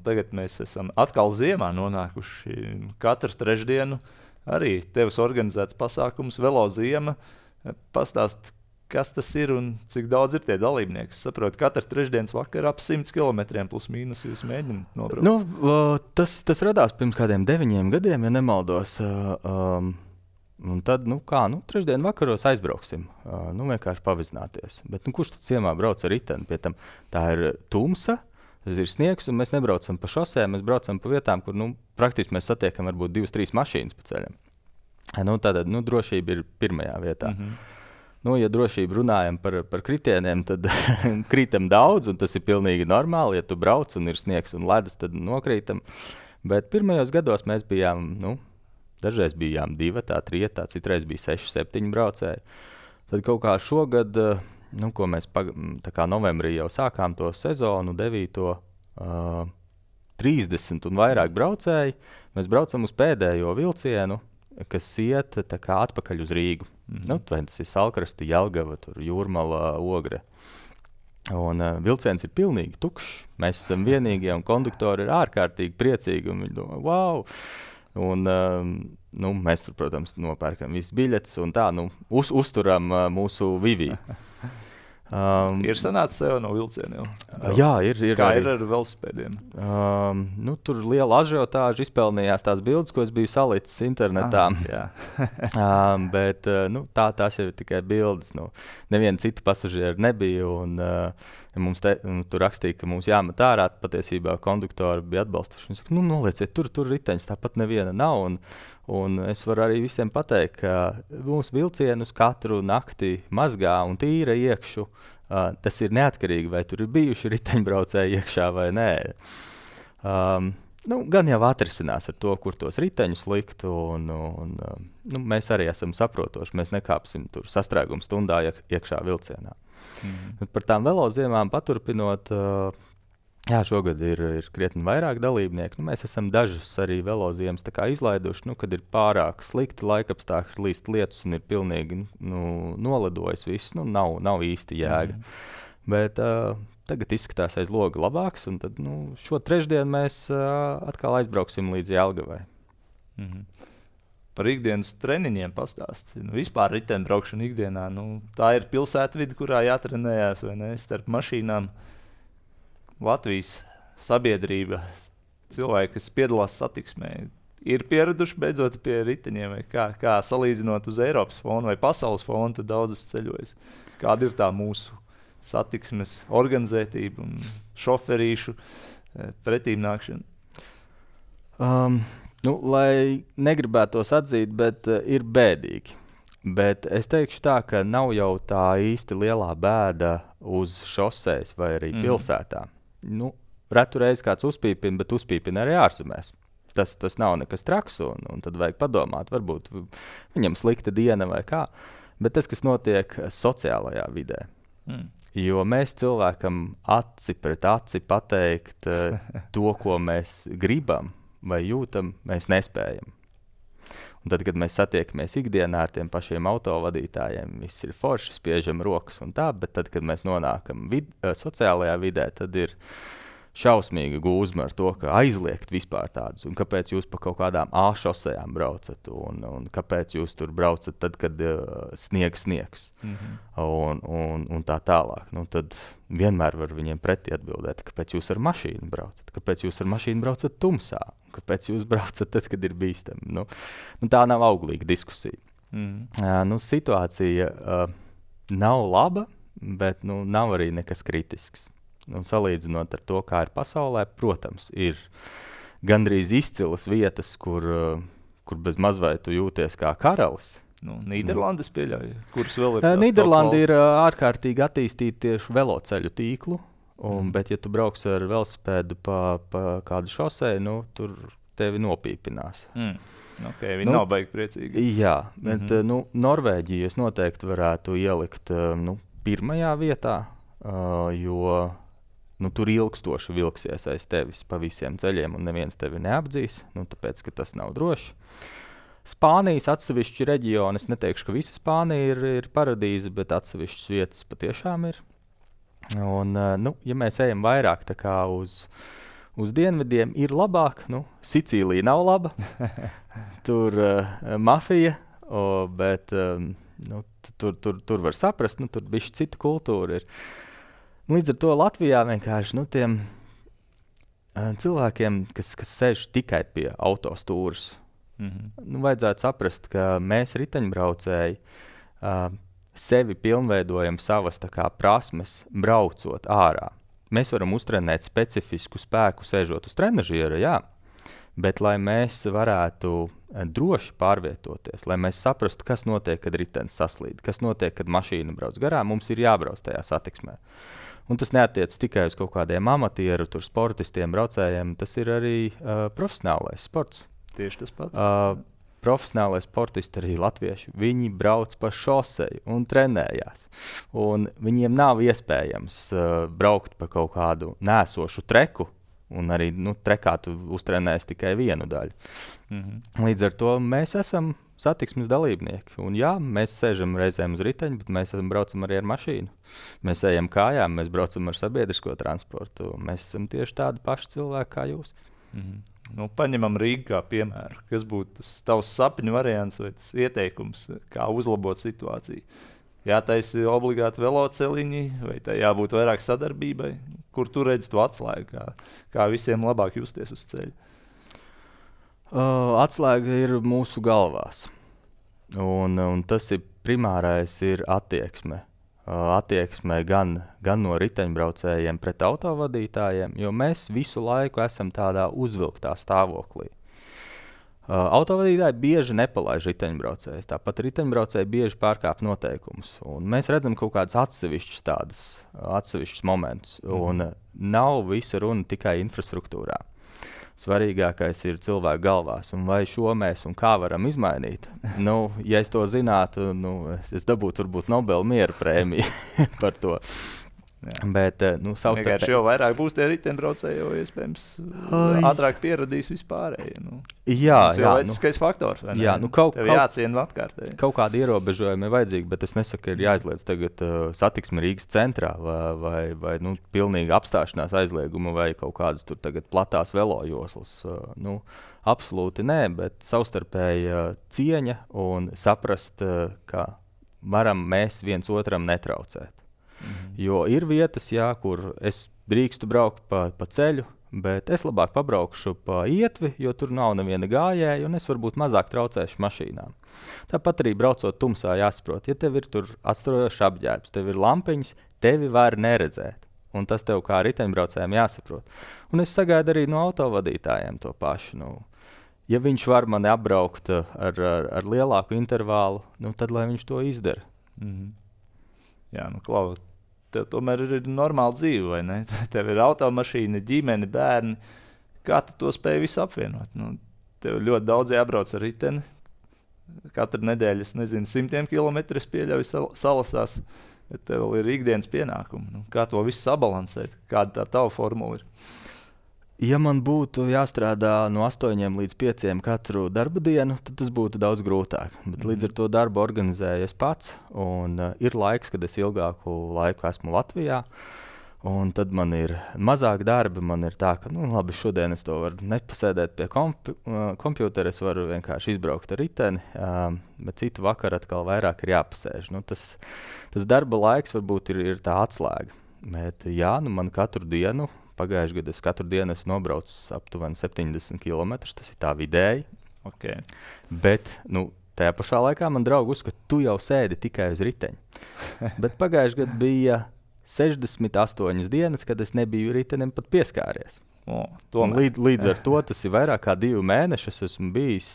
Tagad mēs esam atkal ziemā nonākuši. Katru trešdienu arī tevs organizēts pasākums Velo ziema. Pastāst, kas tas ir un cik daudz ir tie dalībnieki? Es saprotu, katru trešdienas vakaru ap 100 km plus mīnus jūs mēģināt nobraukt. Tas radās pirms kādiem 9 gadiem, ja nemaldos. Un tad, trešdien vakaros aizbrauksim, vienkārši pavizināties. Bet kurš tad ciemā brauc ar riteni? Pie tam tā ir tumsa, tas ir sniegs, un mēs nebraucam pa šosēm, mēs braucam pa vietām, kur praktiski mēs satiekam varbūt 2-3 mašīnas pa ceļam. Tātad drošība ir pirmajā vietā. Ja drošību runājam par kritieniem, tad krītam daudz, un tas ir pilnīgi normāli. Ja tu brauc un ir sniegs un ledus, tad nokrītam. Bet pirmajos gados mēs bijām, dažreiz bijām 2, 3, citreiz bija 6, 7 braucēji. Tad kaut kā šogad, ko mēs tā kā novembrī jau sākām to sezonu, 9. 30 un vairāk braucēji, mēs braucam uz pēdējo vilcienu, kas iet tā kā atpakaļ uz Rīgu. Tas ir Salkrasta, Jelgava, Jūrmala, Ogre. Un vilciens ir pilnīgi tukšs. Mēs esam vienīgie, un konduktori ir ārkārtīgi priecīgi. Un viņi domā, wow! Un, mēs tur, protams, nopērkam visas biļetes un tā, uzturam mūsu vivī. Ir sanācis sev no vilcieniem? Jā, ir. Kā ir ar velosipēdiem? Tur liela ažiotāža izpelnījās tās bildes, ko es biju salicis internetā. Bet tās jau ir tikai bildes. Neviena cita pasažiera nebija. Mums tur rakstīja, ka mums jāmet ārā. Patiesībā konduktori bija atbalstoši. Viņi saka, nolieciet, tur riteņus, tāpat neviena nav. Un es varu arī visiem pateikt, ka mūsu vilcienus katru nakti mazgā un tīra iekšu. Tas ir neatkarīgi, vai tur ir bijuši riteņbraucēji iekšā vai nē. Gan jau atrisinās ar to, kur tos riteņus likt. Mēs arī esam saprotoši. Mēs nekāpsim tur sastrēguma stundā iekšā vilcienā. Par tām veloziemām paturpinot, šogad ir krietni vairāk dalībnieku. Mēs esam dažas arī veloziemas izlaiduši, kad ir pārāk slikti laikapstākļi, līst lietus un ir pilnīgi noledojis viss. Nav īsti jēga. Bet tagad izskatās aiz loga labāks, un tad šo trešdienu mēs atkal aizbrauksim līdz Jelgavai. Par ikdienas treniņiem pastāstīt. Vispār riteņbraukšana ikdienā. Tā ir pilsētvide, kurā jātrenējās, vai ne? Starp mašīnām Latvijas sabiedrība, cilvēki, kas piedalās satiksmē, ir pieraduši beidzot pie riteņiem, vai kā salīdzinot uz Eiropas fonu vai pasaules fonu, tad daudzas ceļojas. Kāda ir tā mūsu satiksmes organizētība un šoferīšu pretīmnākšana? Lai negribētos atzīt, bet ir bēdīgi. Bet es teikšu tā, ka nav jau tā īsti lielā bēda uz šoseis vai arī pilsētā. Retu reizi kāds uzpīpina, bet uzpīpina arī ārzemēs. Tas nav nekas traks, un tad vajag padomāt, varbūt viņam slikta diena vai kā. Bet tas, kas notiek sociālajā vidē. Jo mēs cilvēkam aci pret aci pateikt to, ko mēs gribam vai jūtam, mēs nespējam. Un tad, kad mēs satiekamies ikdienā ar tiem pašiem autovadītājiem, viss ir forši, spiežam rokas un tā, bet tad, kad mēs nonākam sociālajā vidē, tad ir šausmīga gūzma ar to, ka aizliegt vispār tādus, un kāpēc jūs pa kaut kādām šosejām braucat, un kāpēc jūs tur braucat tad, kad sniegs. Un tā tālāk. Tad vienmēr var viņiem pretī atbildēt, kāpēc jūs ar mašīnu braucat, kāpēc jūs ar mašīnu braucat tumsā, kāpēc jūs braucat tad, kad ir bīstami. Tā nav auglīga diskusija. Situācija nav laba, bet nav arī nekas kritisks. Salīdzinot ar to, kā ir pasaulē, protams, ir gandrīz izcilas vietas, kur bez mazvai tu jūties kā karalis. Nīderlandes pieļauj, kuras vēl ir. Nīderlanda ir ārkārtīgi attīstīta tieši veloceļu tīklu, bet ja tu brauks ar velosipēdu pa kādu šoseju, tur tevi nopīpinās. Okay, viņi nav baigi priecīgi. Jā, bet Norvēģiju es noteikti varētu ielikt pirmajā vietā, jo tur ilgstoši vilksies aiz tevis pa visiem ceļiem, un neviens tevi neapdzīs, tāpēc, ka tas nav droši. Spānijas atsevišķi reģioni, es neteikšu, ka visa Spānija ir paradīze, bet atsevišķas vietas patiešām ir. Un, ja mēs ejam vairāk tā kā uz dienvidiem, ir labāk. Sicīlija nav laba, tur mafija, bet tur var saprast, tur bišķi cita kultūra ir. Līdz ar to Latvijā vienkārši tiem cilvēkiem, kas sēž tikai pie autostūras, vajadzētu saprast, ka mēs riteņbraucēji sevi pilnveidojam savas prasmes braucot ārā. Mēs varam uztrenēt specifisku spēku sēžot uz trenažiera, jā, bet lai mēs varētu droši pārvietoties, lai mēs saprastu, kas notiek, kad ritenis saslīd, kas notiek, kad mašīna brauc garām, mums ir jābrauc tajā satiksmē. Un tas neatiec tikai uz kaut kādiem amatieru, sportistiem, braucējiem, tas ir arī profesionālais sports. Tieši tas pats. Profesionālais sportisti arī latvieši, viņi brauc pa šoseju un trenējās. Un viņiem nav iespējams braukt pa kaut kādu nēsošu treku, un arī trekā tu uztrenēsi tikai vienu daļu. Līdz ar to mēs esam satiksmes dalībnieki. Un jā, mēs sēžam reizēm uz riteņa, bet mēs braucam arī ar mašīnu. Mēs ejam kājām, mēs braucam ar sabiedrisko transportu. Mēs esam tieši tādi paši cilvēki kā jūs. Paņemam Rīgu kā piemēru. Kas būtu tas tavs sapņu variants vai tas ieteikums, kā uzlabot situāciju? Jātaisa obligāti veloceliņi, vai tā jābūt vairāk sadarbībai? Kur tu redzi to atslēgu, kā visiem labāk justies uz ceļa? Atslēga ir mūsu galvās. Un tas ir primārais ir attieksme. Attieksme gan no riteņbraucējiem pret autovadītājiem, jo mēs visu laiku esam tādā uzvilktā stāvoklī. Autovadītāji bieži nepalaiž riteņbraucējus, tāpat riteņbraucēji bieži pārkāp noteikumus. Un mēs redzam kaut kādus atsevišķus momentus, un nav visa runa tikai infrastruktūrā. Svarīgākais ir cilvēku galvās, un vai šo mēs un kā varam izmainīt. Ja es to zinātu, es dabūtu varbūt Nobela miera prēmiju par to. Bet, vienkārši jau vairāk būs tie riteņbraucēji, jo iespējams ātrāk pieradīs vispārēji. Cilvēciskais faktors, vai ne? Jā, tev jāciena apkārtēji. Kaut kādi ierobežojumi ir vajadzīgi, bet es nesaku, ka ir jāizliedz tagad satiksme Rīgas centrā vai pilnīga apstāšanās aizlieguma vai kaut kādas tur tagad platās velojoslas. Absolūti nē, bet savstarpēja cieņa un saprast, ka varam mēs viens otram netraucēt. Jo ir vietas, kur es drīkstu braukt pa ceļu, bet es labāk pabraukšu pa ietvi, jo tur nav neviena gājēja, un es varbūt mazāk traucēšu mašīnām. Tāpat arī braucot tumsā jāsaprot, ja tev ir tur atstarojošs apģērbs, tev ir lampiņas, tevi var neredzēt. Un tas tev kā riteņbraucējiem jāsaprot. Un es sagaidu arī no autovadītājiem to pašu. Ja viņš var mani apbraukt ar lielāku intervālu, tad lai viņš to izdara. Jā, Klau, tev tomēr ir normāla dzīve, vai ne? Tev ir automašīna, ģimene, bērni. Kā tu to spēj visu apvienot? Tev ļoti daudz jābrauc ar riteni. Katru nedēļu, es nezinu, 100 kilometru es pieļauju salasās, bet tev vēl ir ikdienas pienākumi. Kā to visu sabalansēt? Kāda tā tava formula ir? Ja man būtu jāstrādā no 8 līdz 5 katru darba dienu, tad tas būtu daudz grūtāk. Bet līdz ar to darbu organizēju es pats, un ir laiks, kad es ilgāku laiku esmu Latvijā. Un tad man ir mazāk darba, man ir tā, ka labi, šodien es to varu nepasēdēt pie kompjutera, es varu vienkārši izbraukt ar riteni, bet citu vakaru atkal vairāk ir jāpasēž. Tas darba laiks varbūt ir tā atslēga. Bet man katru dienu, pagājušajā gadā es katru dienu esmu nobraucis aptuveni 70 km, tas ir tā vidēji. Okay. Bet tajā pašā laikā man draugi uzskata, ka tu jau sēdi tikai uz riteņa. Bet pagājušajā gadā bija 68 dienas, kad es nebiju ritenim pat pieskāries. Līdz ar to tas ir vairāk kā 2 mēneši. Es esmu bijis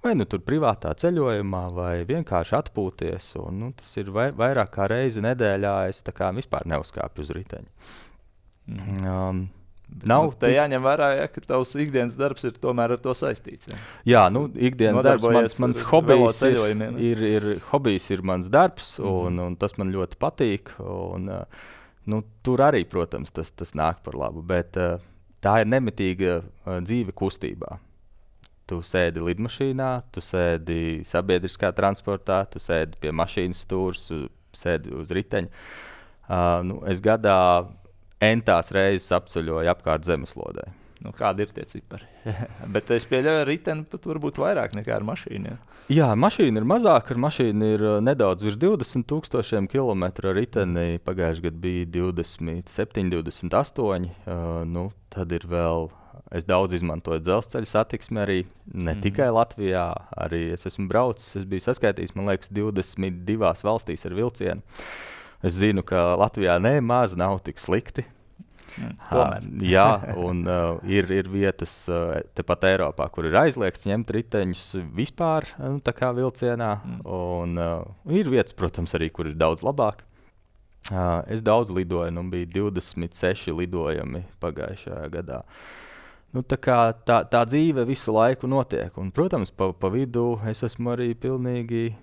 vai tur privātā ceļojumā, vai vienkārši atpūties. Tas ir vairāk kā reizi nedēļā. Es tā kā vispār neuzkāpu uz riteņa. Te jāņem vērā, ka tavs ikdienas darbs ir tomēr ar to saistīts. Jā, ikdienas darbs, mans hobijs ir mans darbs, un tas man ļoti patīk. Tur arī, protams, tas nāk par labu, bet tā ir nemitīga dzīve kustībā. Tu sēdi lidmašīnā, tu sēdi sabiedriskā transportā, tu sēdi pie mašīnas stūres, sēdi uz riteņa. Es gadā entās reizes apceļoju apkārt zemeslodē. Kādi ir tie cipari? Bet es pieļauju, ar riteni pat varbūt vairāk nekā ar mašīnu. Jā, mašīna ir mazāka, ar mašīnu ir nedaudz virs 20,000 kilometru, ar riteni pagājušajā gadā bija 27, 28. Tad ir vēl, es daudz izmantoju dzelzceļa satiksmi arī, ne tikai Latvijā, arī es esmu braucis, es biju saskaitījis, man liekas, 22 valstīs ar vilcienu. Es zinu, ka Latvijā nemaz nav tik slikti. Jā, un ir vietas tepat Eiropā, kur ir aizliegts ņemt riteņus vispār, tā kā vilcienā. Un ir vietas, protams, arī, kur ir daudz labāk. Es daudz lidoju, bija 26 lidojumi pagājušajā gadā. Tā dzīve visu laiku notiek. Un, protams, pa vidu es esmu arī pilnīgi,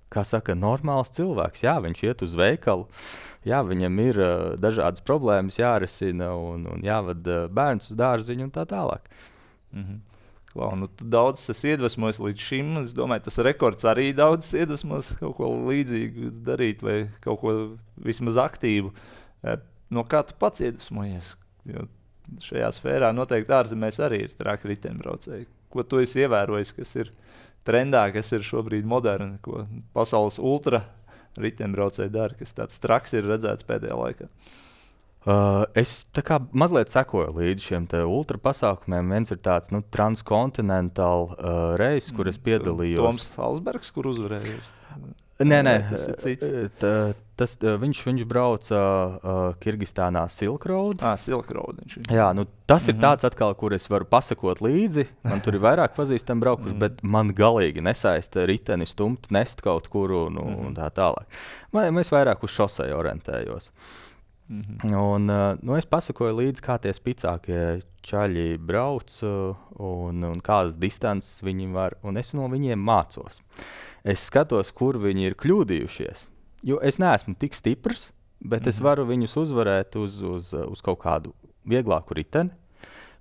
kā saka, normāls cilvēks. Jā, viņš iet uz veikalu, jā, viņam ir dažādas problēmas jārisina un jāved bērns uz dārziņu un tā tālāk. Klau, tu daudz esi iedvesmojis līdz šim. Es domāju, tas rekords arī daudz iedvesmos kaut ko līdzīgu darīt vai kaut ko vismaz aktīvu. No kā tu pats iedvesmojies? Jo šajā sfērā noteikti ārzemēs arī ir traki riteņbraucēji. Ko tu esi ievērojis, kas ir trendā, kas ir šobrīd moderni, ko pasaules ultra riteņbraucēji dara, kas tāds traks ir redzēts pēdējā laikā? Es tā kā mazliet sekoju līdz šiem ultra pasākumiem. Viens ir tāds transkontinentāls reis, kur es piedalījos. Toms Halsbergs, kur uzvarēja? Nē, viņš brauca Kirgistānā Silk Road. Silk Road. Jā, tas ir tāds atkal, kur es varu pasakot līdzi. Man tur ir vairāk pazīstami braukuši, bet man galīgi nesaista riteni stumt, nest kaut kuru un tā tālāk. Es vairāk uz šoseju orientējos. Un, es pasakoju līdzi, kā tie spicākie čaļi brauc un kādas distances viņi var, un es no viņiem mācos. Es skatos, kur viņi ir kļūdījušies, jo es neesmu tik stiprs, bet es varu viņus uzvarēt uz kaut kādu vieglāku riteni,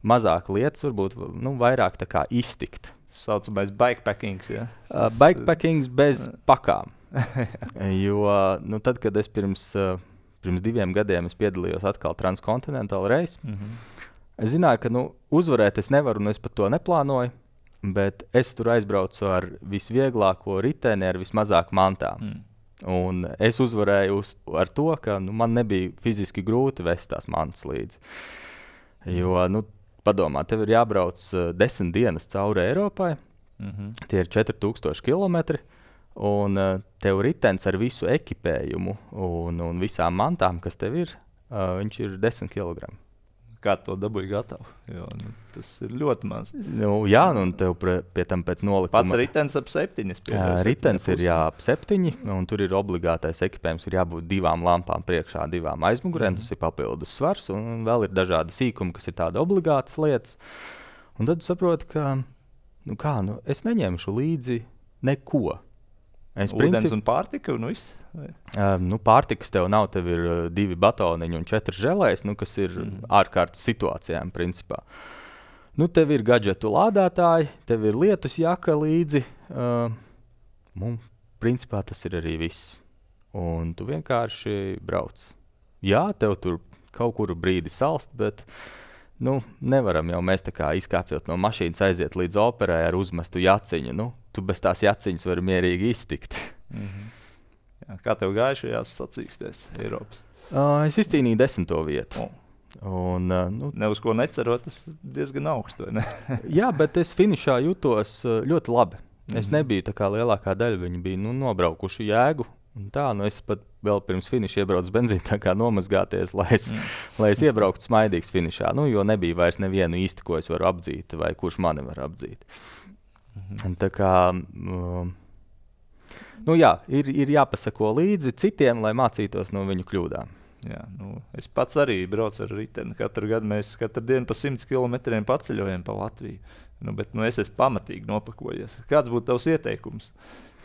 mazāk lietas, varbūt vairāk tā kā iztikt. Saucamais bikepackings, ja? Bikepackings bez pakām. Jo tad, kad es pirms 2 gadiem piedalījos atkal Transcontinental Race, es zināju, ka uzvarēt es nevaru, un es pat to neplānoju, bet es tur aizbraucu ar visvieglāko riteni, ar vismazāk mantām. Un es uzvarēju ar to, ka man nebija fiziski grūti vest tās mantas līdzi. Jo, padomā, tev ir jābrauc 10 dienas cauri Eiropai, tie ir 4000 kilometri, un tev ritenis ar visu ekipējumu un visām mantām, kas tev ir, viņš ir 10 kg. Kā to dabūji gatavu? Jo, tas ir ļoti maz. Jā, un tev pie tam pēc nolikuma... Pats ritenis ap 7. Ritenis ir ap 7, un tur ir obligātais ekipējums, ir jābūt 2 lampām priekšā, 2 aizmugurēm, tas ir papildus svars, un vēl ir dažādi sīkumi, kas ir tāda obligātas lietas. Un tad saproti, ka, es neņemšu līdzi neko. Ūdens un pārtika un viss? Pārtikas tev nav, tev ir 2 batoniņi un 4 želēs, kas ir ārkārtas situācijām principā. Tev ir gadžetu lādētāji, tev ir lietus jaka līdzi, principā tas ir arī viss. Un tu vienkārši brauc. Jā, tev tur kaut kuru brīdi salst, bet nevaram jau mēs tā kā izkāpjot no mašīnas aiziet līdz operai ar uzmestu jaciņu. Tu bez tās jaciņas vari mierīgi iztikt. Jā, kā tev gāja šajās sacīkstēs Eiropas? Es izcīnīju 10. vietu. Un, ne uz ko necerot, tas diezgan augstu, vai ne? Jā, bet es finišā jutos ļoti labi. Es nebiju tā kā lielākā daļa, viņi bija nobraukuši jēgu. Un tā, es pat vēl pirms finiša iebraucu benzīnu, tā kā nomazgāties, lai es iebrauktu smaidīgs finišā. Jo nebija vairs nevienu īsti, ko es varu apdzīt, vai kurš mani var apdzīt. Tā kā, jā, ir jāpasako līdzi citiem, lai mācītos no viņu kļūdām. Jā, es pats arī braucu ar riteni. Katru gadu mēs katru dienu pa 100 kilometriem paceļojam pa Latviju. Bet es esmu pamatīgi nopakojies. Kāds būtu tavs ieteikums?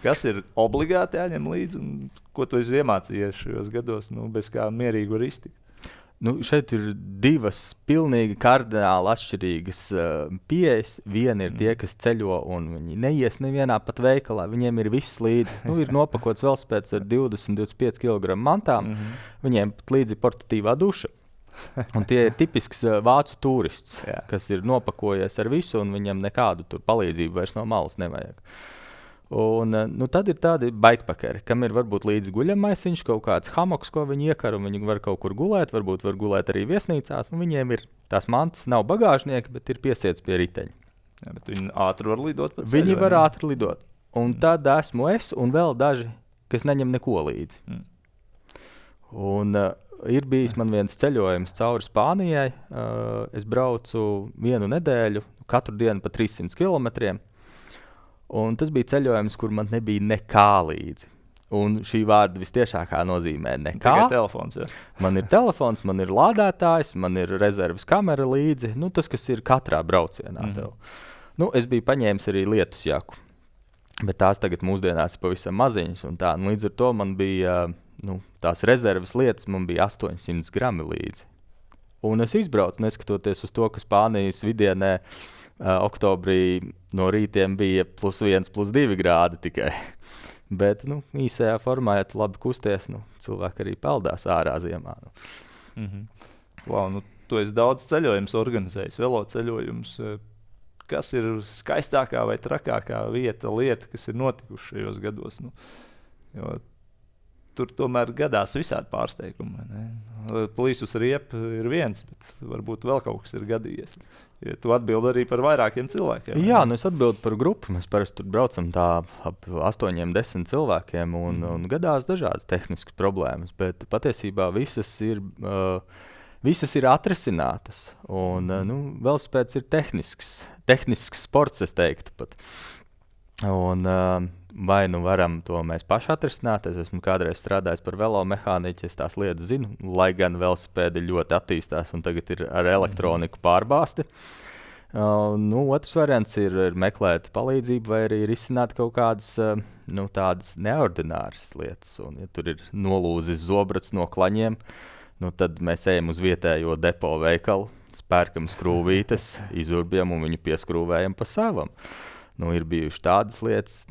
Kas ir obligāti jāņem līdzi un ko tu esi iemācījies šajos gados, bez kā mierīgi var iztikt? Šeit ir 2 pilnīgi kardināli atšķirīgas pieejas. Viena ir tie, kas ceļo un viņi neies nevienā pat veikalā. Viņiem ir viss līdzi. Ir nopakots velosipēds ar 20-25 kg mantām. Viņiem pat līdzi portatīvā duša. Un tie ir tipisks vācu turists, kas ir nopakojies ar visu un viņam nekādu tur palīdzību vairs no malas nevajag. Un, tad ir tādi bikepackeri, kam ir varbūt līdzi guļamaisiņš, kaut kāds hamoks, ko viņi iekar, un viņi var kaut kur gulēt, varbūt var gulēt arī viesnīcās, un viņiem ir tās mantas, nav bagāžnieki, bet ir piesiets pie riteņa. Jā, bet viņi ātri var lidot pa ceļu? Viņi var ātri lidot. Un tad esmu es un vēl daži, kas neņem neko līdzi. Un ir bijis man viens ceļojums cauri Spānijai. Es braucu 1 nedēļu, katru dienu pa 300 kilometriem. Un tas bija ceļojums, kur man nebija nekā līdzi. Un šī vārda vistiešākā nozīmē nekā. Tikai telefons, jā. Man ir telefons, man ir lādētājs, man ir rezerves kamera līdzi. Tas, kas ir katrā braucienā tev. Es biju paņēmis arī lietus jaku. Bet tās tagad mūsdienās ir pavisam maziņas. Un tā, līdz ar to man bija tās rezerves lietas, man bija 800 grami līdzi. Un es izbraucu, neskatoties uz to, ka Spānijas vidienē oktobrī no rītiem bija +1, +2 grādi tikai. Bet īsajā formā, ja tu labi kusties, cilvēki arī peldās ārā ziemā. Wow, tu esi daudz ceļojumus organizējis, veloceļojumus. Kas ir skaistākā vai trakākā lieta, kas ir notikuši šajos gados? Jo tur tomēr gadās visādi pārsteigumi. Plīsus riepa ir viens, bet varbūt vēl kaut kas ir gadījies. Ja tu atbildi arī par vairākiem cilvēkiem. Jā, es atbildu par grupu. Mēs parasti tur braucam tā ap 8-10 cilvēkiem un gadās dažādas tehniskas problēmas, bet patiesībā visas ir atrisinātas. Un velosipēds ir tehnisks sports, es teiktu pat. Un vai varam to mēs paši atrisināt. Es esmu kādreiz strādājis par velomehāniķi, es tās lietas zinu, lai gan velosipēdi ļoti attīstās un tagad ir ar elektroniku pārbāsti. Otrs variants ir meklēt palīdzību vai arī risināt kaut kādas tādas neordināras lietas. Un, ja tur ir nolūzis zobrats no klaņiem, tad mēs ejam uz vietējo depo veikalu, pērkam skrūvītes, izurbjam un viņu pieskrūvējam pa savam. Ir bijušas tādas lietas,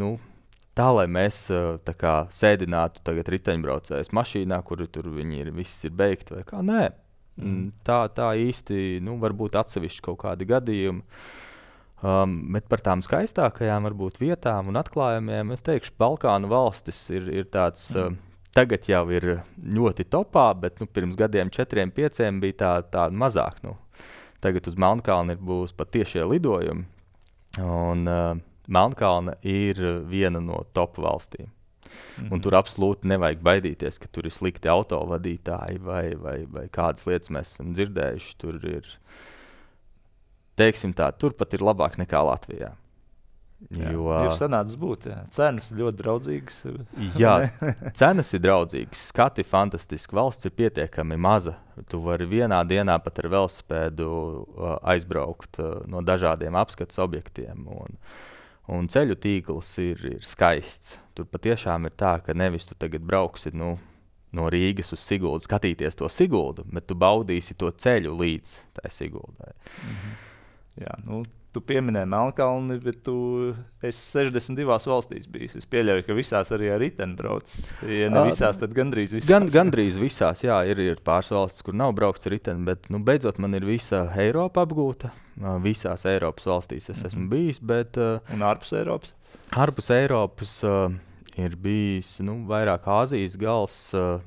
tā, lai mēs sēdinātu tagad riteņbraucējus mašīnā, kur tur viss ir beigti vai kā. Nē, tā īsti, varbūt atsevišķi kaut kādi gadījumi. Bet par tām skaistākajām varbūt vietām un atklājumiem, es teikšu, Balkānu valstis ir tāds, tagad jau ir ļoti topā, bet pirms gadiem 4-5 bija tā mazāk. Tagad uz Melnkalni būs pat tiešie lidojumi, un Melnkalne ir viena no top valstīm. Un tur absolūti nevajag baidīties, ka tur ir slikti autovadītāji vai kādas lietas mēs esam dzirdējuši. Tur ir, teiksim tā, turpat ir labāk nekā Latvijā. Ir sanācis būt, cenas ir ļoti draudzīgas. Jā, cenas ir draudzīgas, skati fantastiski, valsts ir pietiekami maza. Tu vari vienā dienā pat ar velosipēdu aizbraukt no dažādiem apskates objektiem. Un ceļu tīkls ir skaists. Tur patiešām ir tā, ka nevis tu tagad brauksi no Rīgas uz Siguldu skatīties to Siguldu, bet tu baudīsi to ceļu līdz tai Siguldai. Jā, tu pieminēji Melnkalni, bet tu esi 62 valstīs bijis. Es pieļauju, ka visās arī ar riteni brauc. Ja ne visās, tad gandrīz visās. Gandrīz visās, jā. Ir pāris valstis, kur nav braukts ar riteni, bet beidzot man ir visa Eiropa apgūta. Visās Eiropas valstīs es esmu bijis, bet... Un ārpus Eiropas? Ārpus Eiropas ir bijis vairāk Āzijas gals,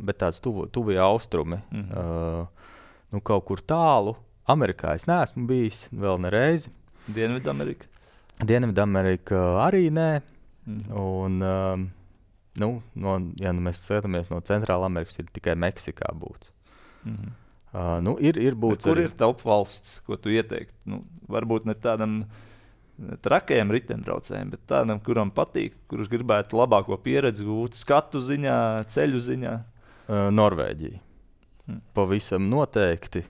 bet tāds tuvie austrumi. Kaut kur tālu. Amerikā es neesmu bijis vēl nereizi. Dienvidamerika? Dienvidamerika arī nē. Un, ja mēs skatāmies no Centrāla Amerikas, ir tikai Meksikā būts. Ir būts kur ir top valsts, ko tu ieteiktu? Varbūt ne tādam trakajam riteņbraucējiem, bet tādam, kuram patīk, kurš gribētu labāko pieredzi gūt skatu ziņā, ceļu ziņā. Norvēģija. Pavisam noteikti.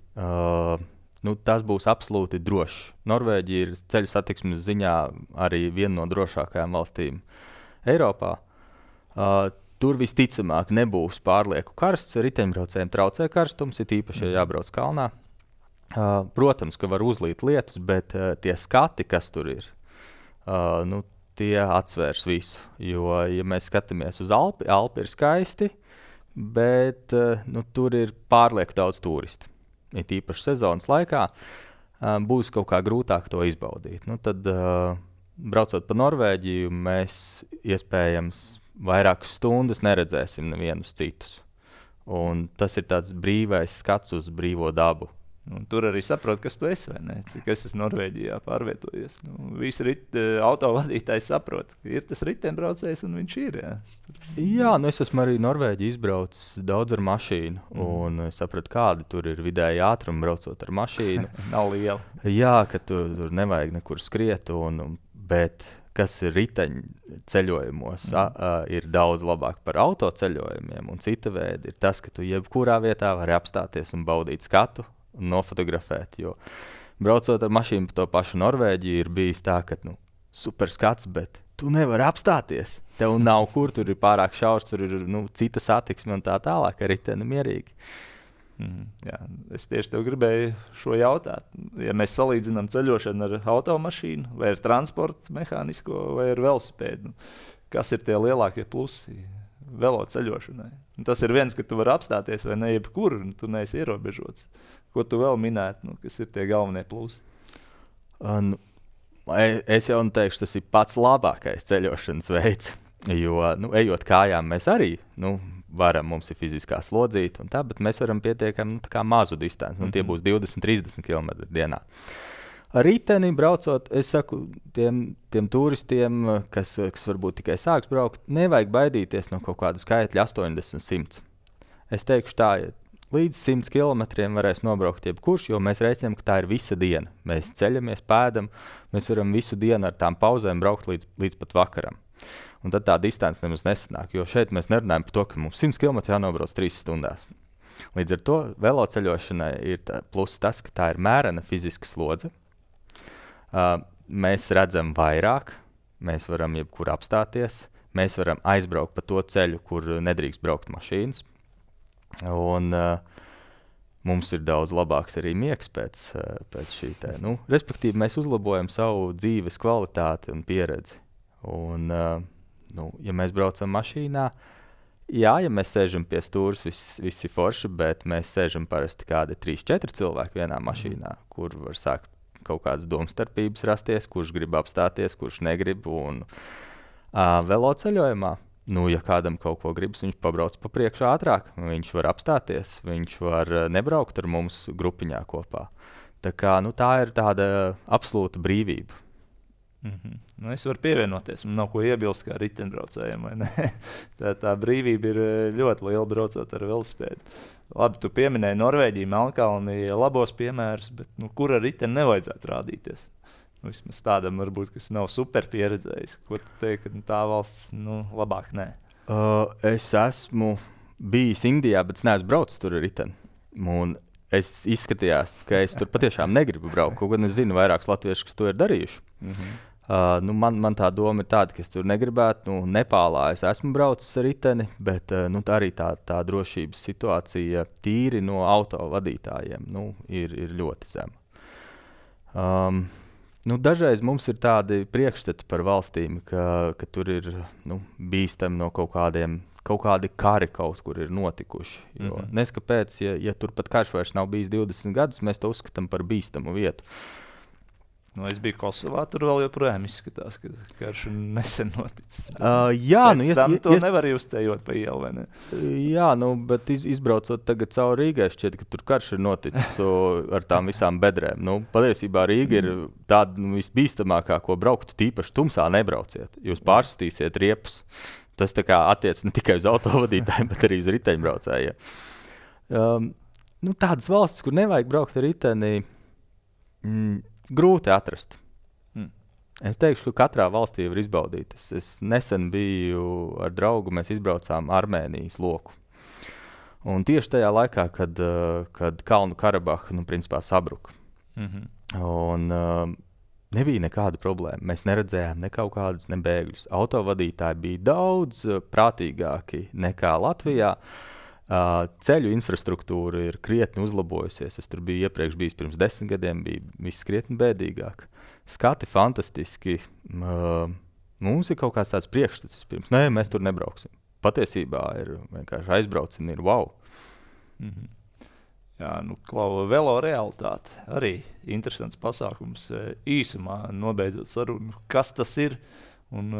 Tas būs absolūti drošs. Norvēģija ir ceļu satiksmes ziņā arī viena no drošākajām valstīm Eiropā. Tur visticamāk nebūs pārlieku karsts. Riteņbraucējiem traucē karstums, ir īpaši, ja jābrauc kalnā. Protams, ka var uzlīt lietus, bet tie skati, kas tur ir, tie atsvērs visu. Jo, ja mēs skatāmies uz Alpi ir skaisti, bet tur ir pārlieku daudz turistu. Ir īpaši sezonas laikā, būs kaut kā grūtāk to izbaudīt. Tad, braucot pa Norvēģiju, mēs iespējams vairākas stundas neredzēsim nevienus citus. Un tas ir tāds brīvais skats uz brīvo dabu. Tur arī saprot, kas tu esi, vai ne? Cik es esmu Norvēģijā pārvietojies. Visi autovadītāji saprot, ka ir tas riteņbraucējs un viņš ir. Jā, es esmu arī Norvēģiju izbraucis daudz ar mašīnu. Un es sapratu, kādi tur ir vidēji ātrumi braucot ar mašīnu. Nav liela. Jā, ka tur nevajag nekur skriet, bet kas ir riteņu ceļojumos, ir daudz labāk par autoceļojumiem. Un cita veida ir tas, ka tu jebkurā vietā vari apstāties un baudīt skatu un nofotografēt. Jo braucot ar mašīnu pa to pašu Norvēģiju, ir bijis tā, ka super skats, bet tu nevari apstāties. Tev nav kur, tur ir pārāk šaurs, tur ir cita satiksme un tā tālāk, ar riteni mierīgi. Jā, es tieši tev gribēju šo jautāt. Ja mēs salīdzinām ceļošanu ar automašīnu, vai ar transportu mehānisko, vai ar velosipēdu, kas ir tie lielākie plusi velo ceļošanai? Tas ir viens, ka tu vari apstāties vai ne jebkur, un tu neesi ierobežots. Ko tu vēl minētu, kas ir tie galvenie plusi? Es jau teikšu, tas ir pats labākais ceļošanas veids, jo, ejot kājām mēs arī, varam, mums ir fiziskā slodzīta un tā, bet mēs varam pietiekami mazu distanci. Tie būs 20-30 km dienā. Ar riteni braucot, es saku tiem turistiem, kas varbūt tikai sāks braukt, nevajag baidīties no kaut kāda skaitļa 80-100. Es teikšu tā, ja līdz 100 km varēs nobraukt jebkurš, jo mēs rēķinām, ka tā ir visa diena. Mēs ceļamies, pēdam, mēs varam visu dienu ar tām pauzēm braukt līdz pat vakaram. Un tad tā distance nemaz nesanāk, jo šeit mēs nerunājam par to, ka mums 100 km jānobrauc 3 stundās. Līdz ar to veloceļošanai ir pluss tas, ka tā ir mērena fiziska slodze. Mēs redzam vairāk, mēs varam jebkur apstāties, mēs varam aizbraukt pa to ceļu, kur nedrīkst braukt mašīnas. Un mums ir daudz labāks arī miegs pēc šī te. Respektīvi, mēs uzlabojam savu dzīves kvalitāti un pieredzi. Un, ja mēs braucam mašīnā, ja mēs sēžam pie stūres, visi forši, bet mēs sēžam parasti kādi 3-4 cilvēki vienā mašīnā, kur var sākt kaut kādas domstarpības rasties, kurš grib apstāties, kurš negrib. Un veloceļojumā, ja kādam kaut ko gribas, viņš pabrauc pa priekšu ātrāk, viņš var apstāties, viņš var nebraukt ar mums grupiņā kopā. Tā kā, tā ir tāda absolūta brīvība. Es varu pievienoties, man nav ko iebilst kā riteņbraucējiem, vai ne? Tā brīvība ir ļoti liela braucot ar velosipēdu. Labi, tu pieminēji Norvēģiju, Melnkalni, labos piemērus, bet kur ar riteni nevajadzētu rādīties? Vismaz tādam varbūt, kas nav super pieredzējis. Ko tu teiksi, ka tā valsts labāk nē? Es esmu bijis Indijā, bet es neesmu braucis tur ar riteni. Un es izskatījās, ka es tur patiešām negribu braukt, kaut gan es zinu vairākus latviešus, kas to ir darījuši. Man tā doma ir tāda, ka es tur negribētu. Nepālā es esmu braucis ar riteni, bet arī tā drošības situācija tīri no auto vadītājiem ir ļoti zema. Dažreiz mums ir tādi priekšstati par valstīm, ka tur ir bīstami no kaut kādi kari kaut kur ir notikuši. Jo neskapēc, ja tur pat karš vairs nav bijis 20 gadus, mēs to uzskatām par bīstamu vietu. Es biju Kosovā, tur vēl joprojām izskatās, ka karš nesen noticis. To nevar uztējot pa ielu, vai ne? Jā, bet izbraucot tagad cauri Rīgai, šķiet, ka tur karš ir noticis ar tām visām bedrēm. Patiesībā Rīga ir tāda visbīstamākā, ko brauktu, tīpaši tumsā nebrauciet. Jūs pārstīsiet riepus. Tas tā kā attiec ne tikai uz autovadītājiem, bet arī uz riteņbraucējiem. Tādas valstis, kur nevajag braukt ar riteni, grūti atrast. Es teikšu, ka katrā valstī var izbaudīt. Es nesen biju ar draugu, mēs izbraucām Armēnijas loku. Un tieši tajā laikā, kad Kalnu Karabaha, principā sabruka. Un nebija nekāda problēma. Mēs neredzējām ne kaut kādus bēgļus. Autovadītāji bija daudz prātīgāki nekā Latvijā. Ceļu infrastruktūra ir krietni uzlabojusies. Es tur biju iepriekš bijis pirms 10 gadiem, bija viss krietni bēdīgāk. Skati fantastiski. Mums ir kaut kāds tāds priekšstats pirms. Nē, mēs tur nebrauksim. Patiesībā ir vienkārši aizbraucam, ir wow. Jā, Klau, velo realitāte. Arī interesants pasākums. Īsumā nobeidzot sarunu, kas tas ir un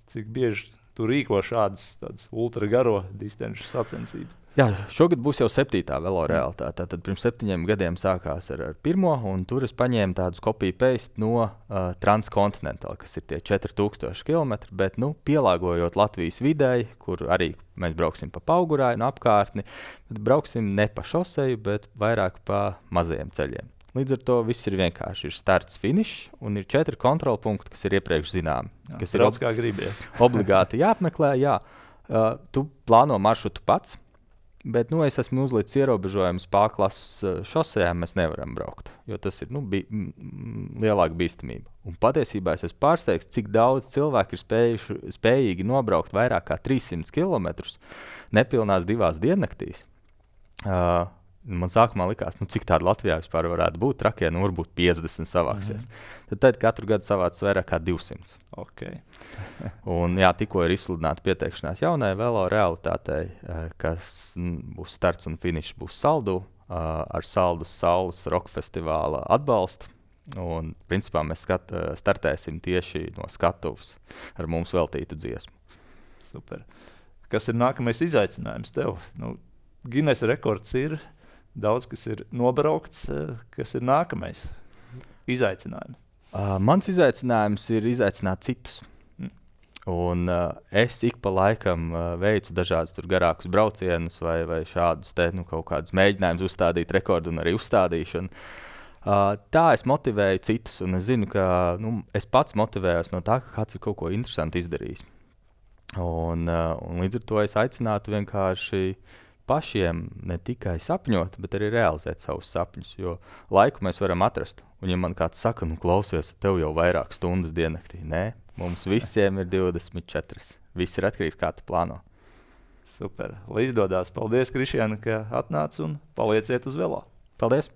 cik bieži tu rīko šādas ultra garo distanču sacensības. Jā, šogad būs jau 7. velo realitāte. Tad pirms 7 gadiem sākās ar 1. un tur es paņēmu tādus copy-paste no Transcontinental, kas ir tie 4000 km, bet pielāgojot Latvijas videi, kur arī mēs brauksim pa Paugurāju un apkārtni, bet brauksim ne pa šoseju, bet vairāk pa mazajiem ceļiem. Līdz ar to viss ir vienkārši. Ir starts, finišs un ir 4 kontrolpunkti, kas ir iepriekš zināmi. Kas ir kā gribi, obligāti jāapmeklē. Jā. Tu plāno maršrutu pats, bet es esmu uzlicis ierobežojumus pārklases šosejām, mēs nevaram braukt, jo tas ir lielāka bīstamība. Un patiesībā es esmu pārsteigts, cik daudz cilvēku ir spējīgi nobraukt vairāk kā 300 km nepilnās 2 diennaktīs. Man sākumā likās, cik tāda Latvijā vispār varētu būt, trakie, varbūt 50 savāksies. Tad katru gadu savāc vairāk kā 200. Okay. Un tikko ir izsludināta pieteikšanās jaunai velo realitātei, kas būs starts un finišs būs Saldu, ar Saldus Saules roka festivāla atbalstu. Un principā mēs startēsim tieši no skatuves ar mums veltītu dziesmu. Super. Kas ir nākamais izaicinājums tev? Guinness rekords ir. Daudz, kas ir nobraukts, kas ir nākamais izaicinājums? Mans izaicinājums ir izaicināt citus. Un es ik pa laikam veicu dažādus garākus braucienus vai šādus kaut kādus mēģinājumus uzstādīt rekordu un arī uzstādīšanu. Tā es motivēju citus, un es zinu, ka es pats motivējos no tā, ka kāds ir kaut ko interesantu izdarījis. Un līdz ar to es aicinātu vienkārši pašiem ne tikai sapņot, bet arī realizēt savus sapņus, jo laiku mēs varam atrast. Un ja man kāds saka, nu klausies, tev jau vairāk stundas diennaktī. Nē, mums visiem ir 24. Viss ir atkarīgs, kā tu plāno. Super. Lai izdodas. Paldies, Krišjāna, ka atnāc un palieciet uz velo. Paldies!